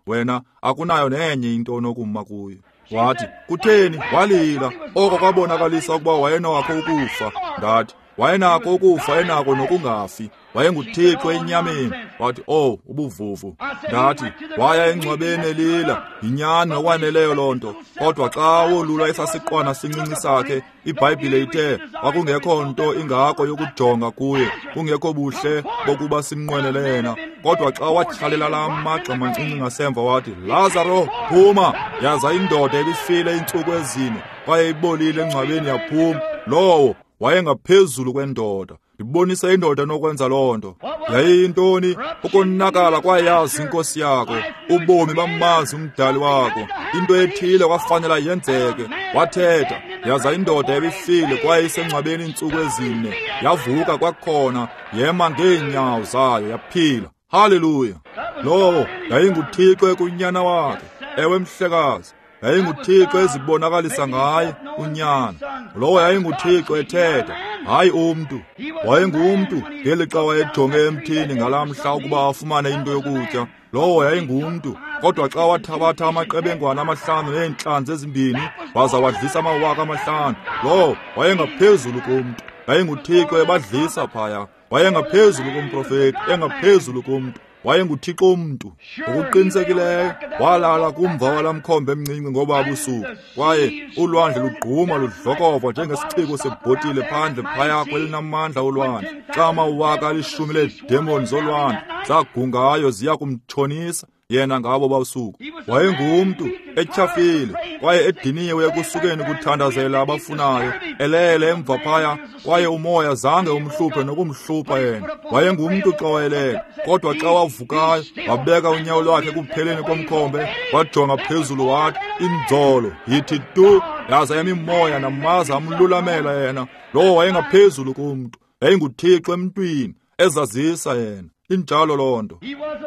wena akunayo nenye into onokuma kuyo. Wathi, kutheni? Walila. Oko kwabonakalisa ukuba wayenakho ukufa. Ndathi, wayenakho ukufa, enako nokungafi. WayenguThixo enyameni. Wathi, oh, ubuvuvu. Ndathi, waya engcwabeni elila. Yinyani ngokwaneleyo loo nto. Kodwa xa wolula esasiqwana sincinci sakhe, iBhayibhile ithe kwakungekho nto ingako yokujonga kuye, kungekho buhle bokuba simnqwenele yena. Kodwa xa watyhalela laa magxa mancinci ngasemva wathi, Lazaro, phuma! Yaza indoda ebifile iintsuku ezine kwaye ibolile engcwabeni yaphuma. Lowo wayengaphezulu kwendoda. Ndibonisa indoda enokwenza loo nto. Yayiyintoni? Ukonakala kwayazi inkosi yakho. Ubomi bamazi umdali wakho. Into ethile kwafanela yenzeke. Wathetha, yaza indoda ebifile kwaye isengcwabeni iintsuku ezine. Yavuka kwakhona, yema ngeenyawo zayo, yaphila. Haleluya! Lowo yayinguThixo ekunyana wakhe. Ewe, mhlekazi. YayinguThixo ezibonakalisa ngaye unyana. Lowo yayinguThixo ethetha, hayi umntu. Wayengumntu ngelixa wayejonge emthini ngalaa mhla ukuba afumane into yokutya. Lowo yayingumntu. Kodwa xa wathabatha amaqebengwana 5 neentlanzi 2 waza wadlisa 5,000, lowo wayengaphezulu komntu. YayinguThixo ebadlisa phaya. Wayengaphezulu komprofeti, engaphezulu komntu. WayenguThixo umntu. Ngokuqinisekileyo walala kumva walamkhombe emncinci ngoba busuku, kwaye ulwandle lugquma ludlokova njengesiciko sebhotile phandle phaya kwelinamandla olwandle. Xa 10,000 leedemoni zolwandle zagungayo ziya kumtshonisa, yena ngabo basuku. Wayengumntu etyhafile kwaye ediniwe ekusukeni kuthandazela abafunayo, elele emva phaya, kwaye umoya zange umhluphe nokumhlupha yena. Wayengumntu xa wayelele, kodwa xa wavukayo wabeka unyawo lwakhe ekupheleni komkhombe, wajonga phezulu wathi, inzolo yithi tu, yaza yemimoya namaza amlulamela yena. Lowo wayengaphezulu kumntu, yayinguThixo emntwini ezazisa yena. Injalo loo nto.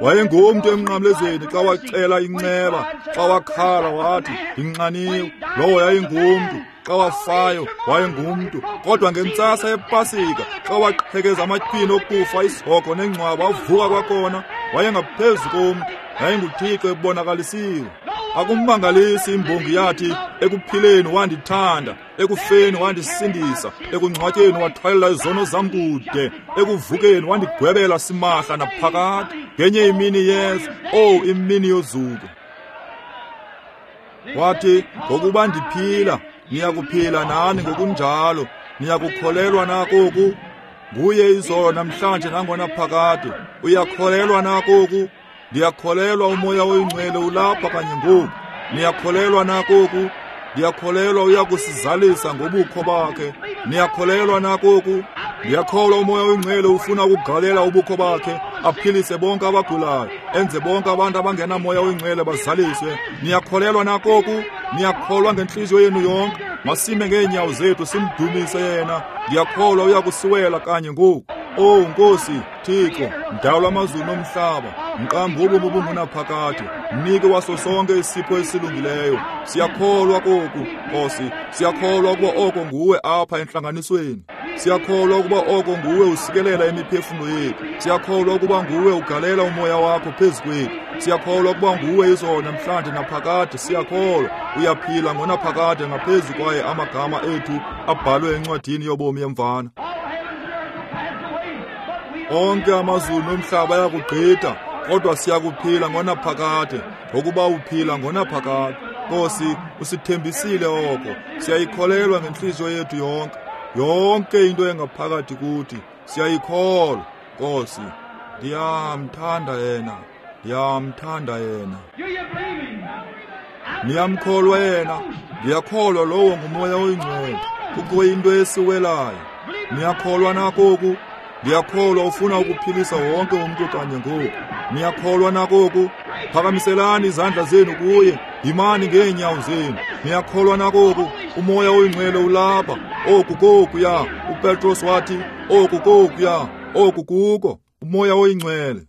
Wayengumntu emnqamlezweni xa wacela inceba, xa wakhala wathi ndinxaniwe. Lowo yayingumntu. Xa wafayo wayengumntu. Kodwa ngentsasa yePasika xa waqhekeza amatyhini okufa, isihogo nengcwaba, wavuka kwakhona, wayengaphezu komntu. YayinguThixo ebonakalisiwe. Akummangalisi imbongi yathi, ekuphileni wandithanda, ekufeni wandisindisa, ekungcwatyeni wathwalela izono zam kude, ekuvukeni wandigwebela simahla naphakade. Ngenye imini yeza, oh imini yozuko. Wathi, ngokuba ndiphila, niyakuphila nani ngokunjalo. Niyakukholelwa na koku? Nguye izolo namhlanje nangona phakade. Uyakholelwa na koku? Ndiyakholelwa uMoya oyiNgcwele ulapha kanye ngoku. Niyakholelwa na koku? Ndiyakholelwa uyakusizalisa ngobukho bakhe. Niyakholelwa na koku? Ndiyakholwa uMoya oyiNgcwele ufuna ukugalela ubukho bakhe, aphilise bonke abagulayo, enze bonke abantu abangenamoya oyiNgcwele bazaliswe. Niyakholelwa na koku? Niyakholwa ngentliziyo yenu yonke? Masime ngeenyawo zethu simdumise yena. Ndiyakholwa uyakusiwela kanye ngoku. Oh Nkosi Thixo, mdali wamazulu nomhlaba, mqambi wobomi obungunaphakade, mnike waso sonke isipho esilungileyo. Siyakholwa koku, Nkosi. Siyakholwa ukuba oko nguwe apha entlanganisweni. Siyakholwa ukuba oko nguwe usikelela imiphefumlo yethu. Siyakholwa ukuba nguwe ugalela umoya wakho phezu kwethu. Siyakholwa ukuba nguwe izolo namhlanje naphakade. Siyakholwa uyaphila ngonaphakade ngaphezu kwaye amagama ethu abhalwe encwadini yobomi yemvana. Onke amazulu nomhlaba ayakugqitha, kodwa siyakuphila ngonaphakade, ngokuba uphila ngonaphakade. Nkosi, usithembisile oko. Siyayikholelwa ngentliziyo yethu yonke. Yonke into engaphakathi kuthi siyayikholwa. Nkosi, ndiyamthanda yena, ndiyamthanda yena. Niyamkholwa yena? Ndiyakholwa lowo nguMoya oyiNgcwele. Kukho into esiwelayo. Niyakholwa na koku? Ndiyakholwa ufuna ukuphilisa wonke umntu kanye ngoku. Niyakholwa na koku? Phakamiselani izandla zenu kuye, yimani ngeenyawo zenu. Niyakholwa na koku? UMoya oyiNgcwele ulapha. Oku kokuya. uPetros wathi, oku kokuya, oku kuko. UMoya oyiNgcwele.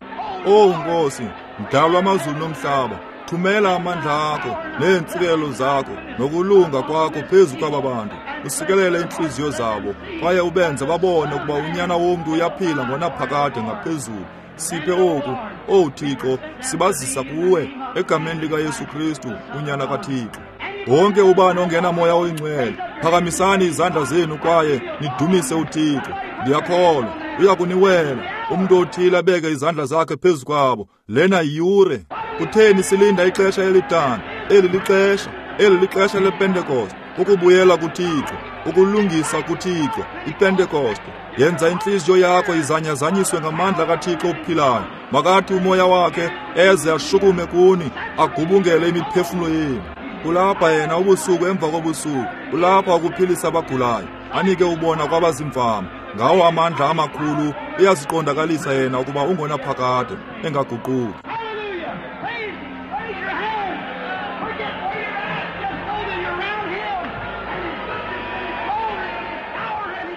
Oh Nkosi, mdali wamazulu nomhlaba, thumela amandla akho neentsikelelo zakho nokulunga kwakho phezu kwaba bantu. Usikelele iintliziyo zabo kwaye ubenze babone ukuba uNyana womntu uyaphila ngonaphakade ngaphezulu. Siphe oku, owu Thixo, sibazisa kuwe egameni likaYesu Kristu, uNyana kaThixo. Wonke ubani ongenamoya oyiNgcwele, phakamisani izandla zenu kwaye nidumise uThixo. Ndiyakholwa uyakuniwela. Umntu othile abeke izandla zakhe phezu kwabo. Lena yiyure. Kutheni silinda ixesha elidana? Eli lixesha, eli lixesha lePentekoste, ukubuyela kuThixo, ukulungisa kuThixo, iPentekoste. Yenza intliziyo yakho izanyazanyiswe ngamandla kaThixo ophilayo. Makathi umoya wakhe eze ashukume kuni, agubungele imiphefumlo yenu. Ulapha yena ubusuku emva kobusuku. Ulapha ukuphilisa abagulayo, anike ubona kwabazimfama. Ngawo amandla amakhulu uyaziqondakalisa yena ukuba ungonaphakade, engaguquki.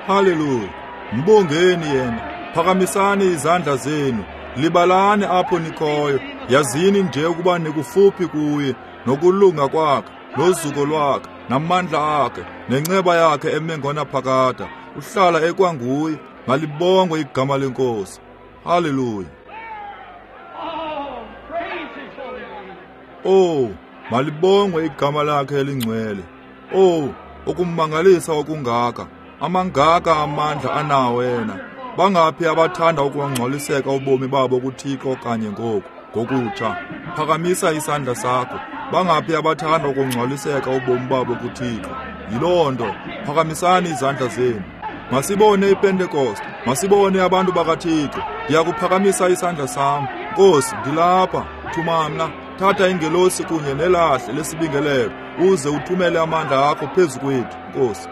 Haleluya! Mbongeni yena. Phakamisani izandla zenu, libalani apho nikhoyo. Yazini nje ukuba nikufuphi kuye, nokulunga kwakhe, nozuko lwakhe, namandla akhe, nenceba yakhe eme ngonaphakade. Uhlala ekwanguye. Malibongwe igama leNkosi. Haleluya! Oh, malibongwe igama lakhe elingcwele. Oh, ukumangalisa okungaka, amangaka amandla anawo yena. Bangaphi abathanda ukungcoliseka ubomi babo kuThixo kanye ngoku ngokutsha? Phakamisa isandla sakho. Bangaphi abathanda ukungcoliseka ubomi babo kuThixo? Yiloo nto. Phakamisani izandla zenu. Masibone iPentekoste, masibone abantu bakaThixo. Ndiyakuphakamisa isandla sam. Nkosi, ndilapha. Thuma mna, thatha ingelosi kunye nelahle lesibingelelo, uze uthumele amandla akho phezu kwethu, Nkosi.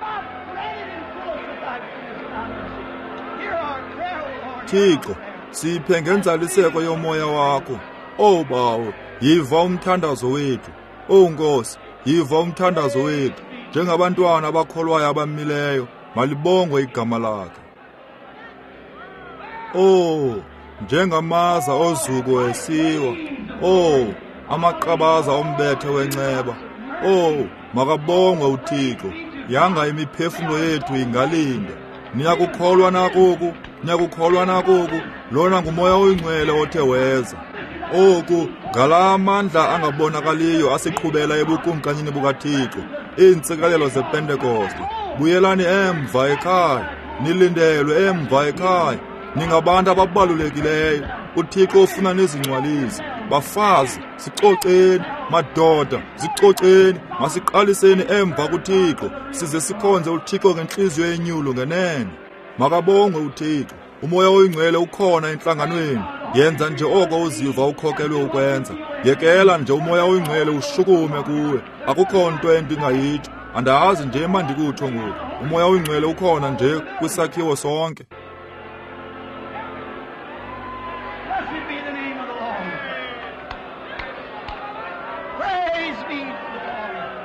Thixo, siphe ngenzaliseko yomoya wakho. Owu Bawo, yiva umthandazo wethu. Owu Nkosi, yiva umthandazo wethu. Njengabantwana abakholwayo abamileyo, malibongwe igama lakhe. Oh, njengamaza ozuko esiwa. Oh, amaqabaza ombethe wenceba. Oh, makabongwe uThixo. Yanga imiphefumulo yethu ingalinda. Niyakukholwa nakoku, niyakukholwa nakoku. Lona ngumoya oyingcwele othe weza. Oku ngalaa mandla angabonakaliyo asiqhubela ebukumkanini bukaThixo. Iintsikelelo zePentekoste. Buyelani emva ekhaya, nilindelwe emva ekhaya. Ningabantu ababalulekileyo. uThixo ufuna nizingcwalise. Bafazi, sicoceni. Madoda, sicoceni. Masiqaliseni emva kuThixo, size sikhonze uThixo ngentliziyo enyulu ngenene. Makabongwe uThixo. Umoya oyingcwele ukhona entlanganweni. Yenza nje oko uziva ukhokelwe ukwenza. Yekela nje umoya oyingcwele ushukume kuwe. Akukho nto endingayitsho. Andazi nje mandikutsho ngoku. Umoya oyingcwele ukhona nje kwisakhiwo sonke. Blessed be the name of the Lord. Praise be to the Lord.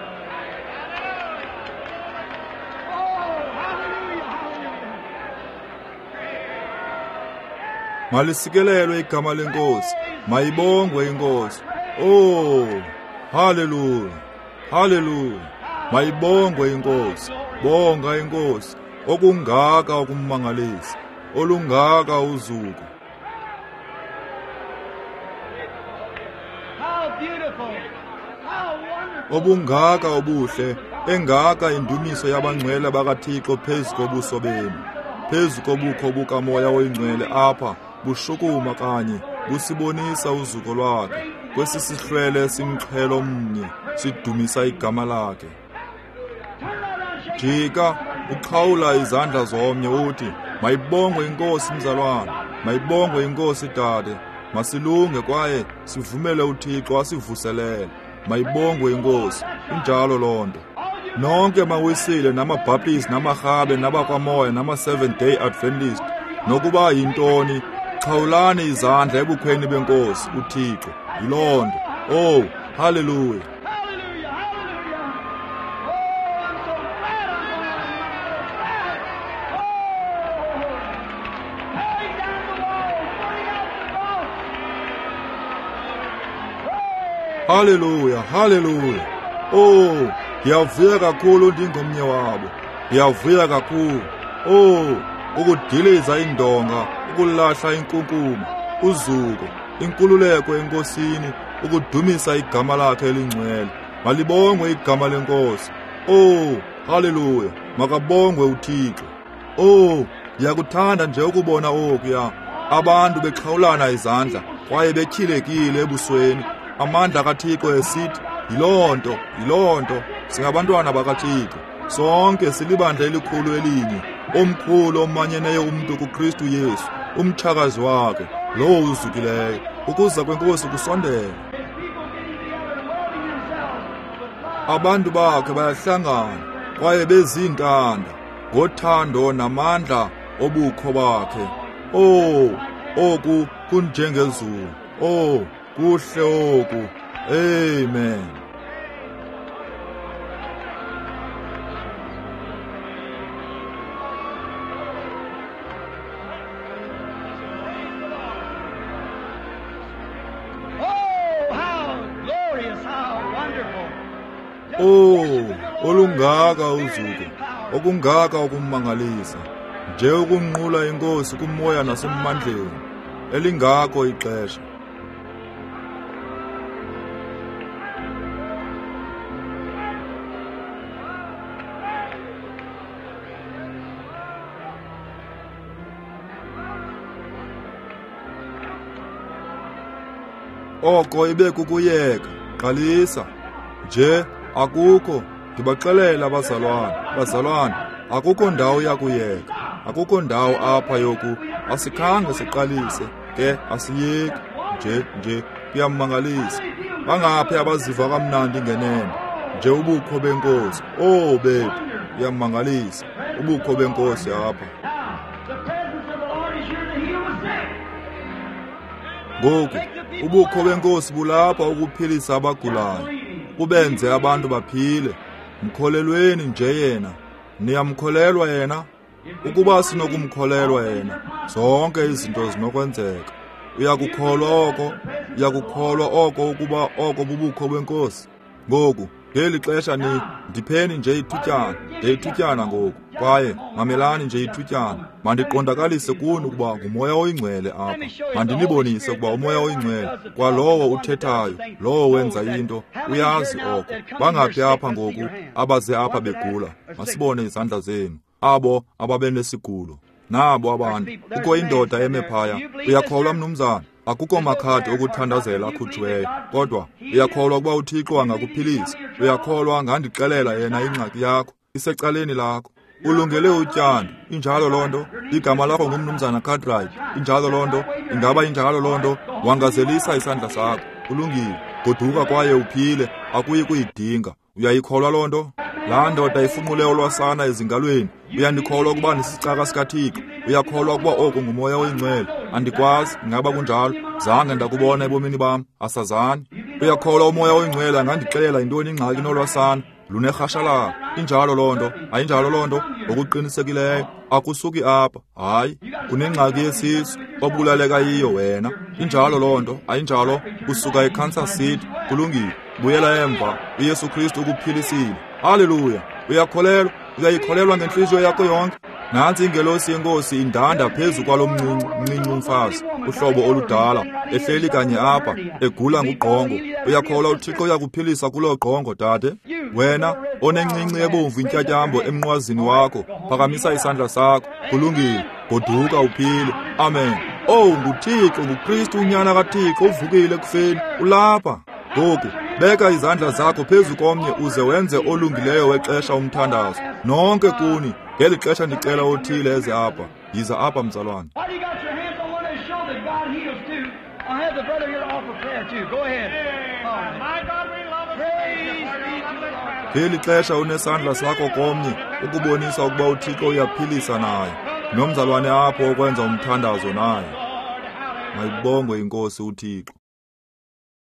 Oh, hallelujah, hallelujah. Malisikelelwe igama lenkosi. Mayibongwe inkosi. Oh, haleluya, haleluya. Mayibongwe inkosi. Bonga inkosi. Okungaka ukumangalisa, olungaka uzuko. How beautiful. How wonderful. Obungaka obuhle, engaka indumiso yabangcwele bakaThixo phezu kobuso benu, phezu kobukho bukamoya oyingcwele apha bushukuma kanye busibonisa uzuko lwakhe. Kwesi sihlwele simxhelo mnye sidumisa igama lakhe. Jika uqhawula izandla zomnye uthi, mayibongwe inkosi mzalwana, mayibongwe inkosi dade. Masilunge kwaye sivumele uThixo asivuselele. Mayibongwe inkosi. Injalo loo nto. Nonke mawisile namaBaptist namaRhabe nabakwamoya nama-Seventh Day Adventist, nokuba yintoni, xhawulani izandla ebukhweni benkosi uThixo. Yiloo nto. Oh, haleluya. Hallelujah, hallelujah. Oh, I'm so glad I'm going. I'm so glad. Oh, tearing down the wall, putting out the cross. Haleluya, haleluya. Oh, ndiyavuya kakhulu ndingomnye wabo. Ndiyavuya kakhulu. Oh, ukudiliza indonga, ukulahla inkunkuma, uzuko, inkululeko enkosini, ukudumisa igama lakhe elingcwele. Malibongwe igama lenkosi. Oh, haleluya. Makabongwe uThixo. Oh, ndiyakuthanda nje ukubona okuya. Abantu bexhawulana izandla kwaye betyhilekile ebusweni. Amandla kaThixo esithi, yiloo nto, yiloo nto. Singabantwana bakaThixo. Sonke silibandla elikhulu elinye, omkhulu omanyeneyo umntu kuKristu Yesu, umtshakazi wakhe, lowo uzukileyo. Ukuza kwenkosi kusondele. Abantu bakhe bayahlangana kwaye bezintanda ngothando namandla obukho bakhe. Oh, oku kunjengezulu. Oh, kuhle oku. Amen. Oh, how glorious, how wonderful. Oh, olungaka uzuko, okungaka ukumangalisa. Nje ukunqula inkosi kumoya nasemandleni. Elingako ixesha. Oko ibe kukuyeka, qalisa. Nje akukho, ndibaxelela abazalwana, bazalwana, akukho ndawo yakuyeka, akukho ndawo apha yoku, asikhange siqalise, ke asiyeki, nje, Kuyamangalisa. Bangaphi abaziva kamnandi ngenene? Nje ubukho benkosi. Oh bethu, kuyamangalisa. Ubukho benkosi apha. Ngoku ubukho benkosi bulapha ukuphilisa abagulayo, kubenze abantu baphile. Mkholelweni nje yena. Niyamkholelwa yena? Ukuba sinokumkholelwa yena, zonke izinto zinokwenzeka. Uyakukholwa oko? Uyakukholwa oko ukuba oko bubukho benkosi? Ngoku ngeli xesha ndipheni nje ithutyana, ithutyana ngoku, kwaye mamelani nje ithutyana. Mandiqondakalise kuni ukuba nguMoya oyiNgcwele apha. Mandinibonise ukuba uMoya oyiNgcwele, kwalowo uthethayo, lowo wenza into, uyazi oko. Bangaphi apha ngoku abaze apha begula? Masibone izandla zenu. Abo ababenesigulo, nabo abantu. Kukho indoda eme phaya. Uyakholwa, mnumzana? Akukho makhadi okuthandazela akhutshiweyo, kodwa uyakholwa ukuba uThixo angakuphilisa? Uyakholwa angandixelela yena ingxaki yakho isecaleni lakho? Ulungele utyando, injalo loo nto? Igama lakho ngumnumzana Cartwright, injalo loo nto? Ingaba injalo loo nto? Wangazelisa isandla sakho. Ulungile, goduka kwaye uphile, akuyi kuyidinga. Uyayikholwa loo nto? Laa ndoda ifunqule olwasana ezingalweni. Uyandikholwa ukuba ndisicaka sikaThixo? Uyakholwa ukuba oku nguMoya oyiNgcwele? Andikwazi, ingaba kunjalo? Zange ndakubona ebomini bam, asazani. Uyakholwa uMoya oyiNgcwele angandixelela yintoni ingxaki nolwasana? Lunerhashalala. Injalo loo nto? Ayinjalo loo nto? Ngokuqinisekileyo akusuki apha. Hayi, unengxaki yesisu obulaleka yiyo wena. Injalo loo nto? Ayinjalo? Usuka eKansas City. Kulungile, buyela emva. uYesu Kristu ukuphilisile. Haleluya! Uyakholelwa? Uyayikholelwa ngentliziyo yakho yonke? Nantsi ingelosi yenkosi indanda phezu kwalo mncinci umfazi, uhlobo oludala, ehleli kanye apha, egula ngugqongo. Uyakholwa uThixo uyakuphilisa kuloo gqongo, dade? Wena onencinci ebomvu intyatyambo emnqwazini wakho, phakamisa isandla sakho. Kulungile, goduka uphile. Amen. Oh, nguThixo, nguKristu unyana kaThixo uvukile ekufeni, ulapha. Ngoku beka izandla zakho phezu komnye uze wenze olungileyo wexesha umthandazo. Nonke kuni, ngeli xesha ndicela othile eze apha. Yiza apha, mzalwane. Ngeli xesha unesandla sakho komnye ukubonisa ukuba uThixo uyaphilisa naye. Nomzalwane apho okwenza umthandazo naye. Mayibongwe iNkosi uThixo.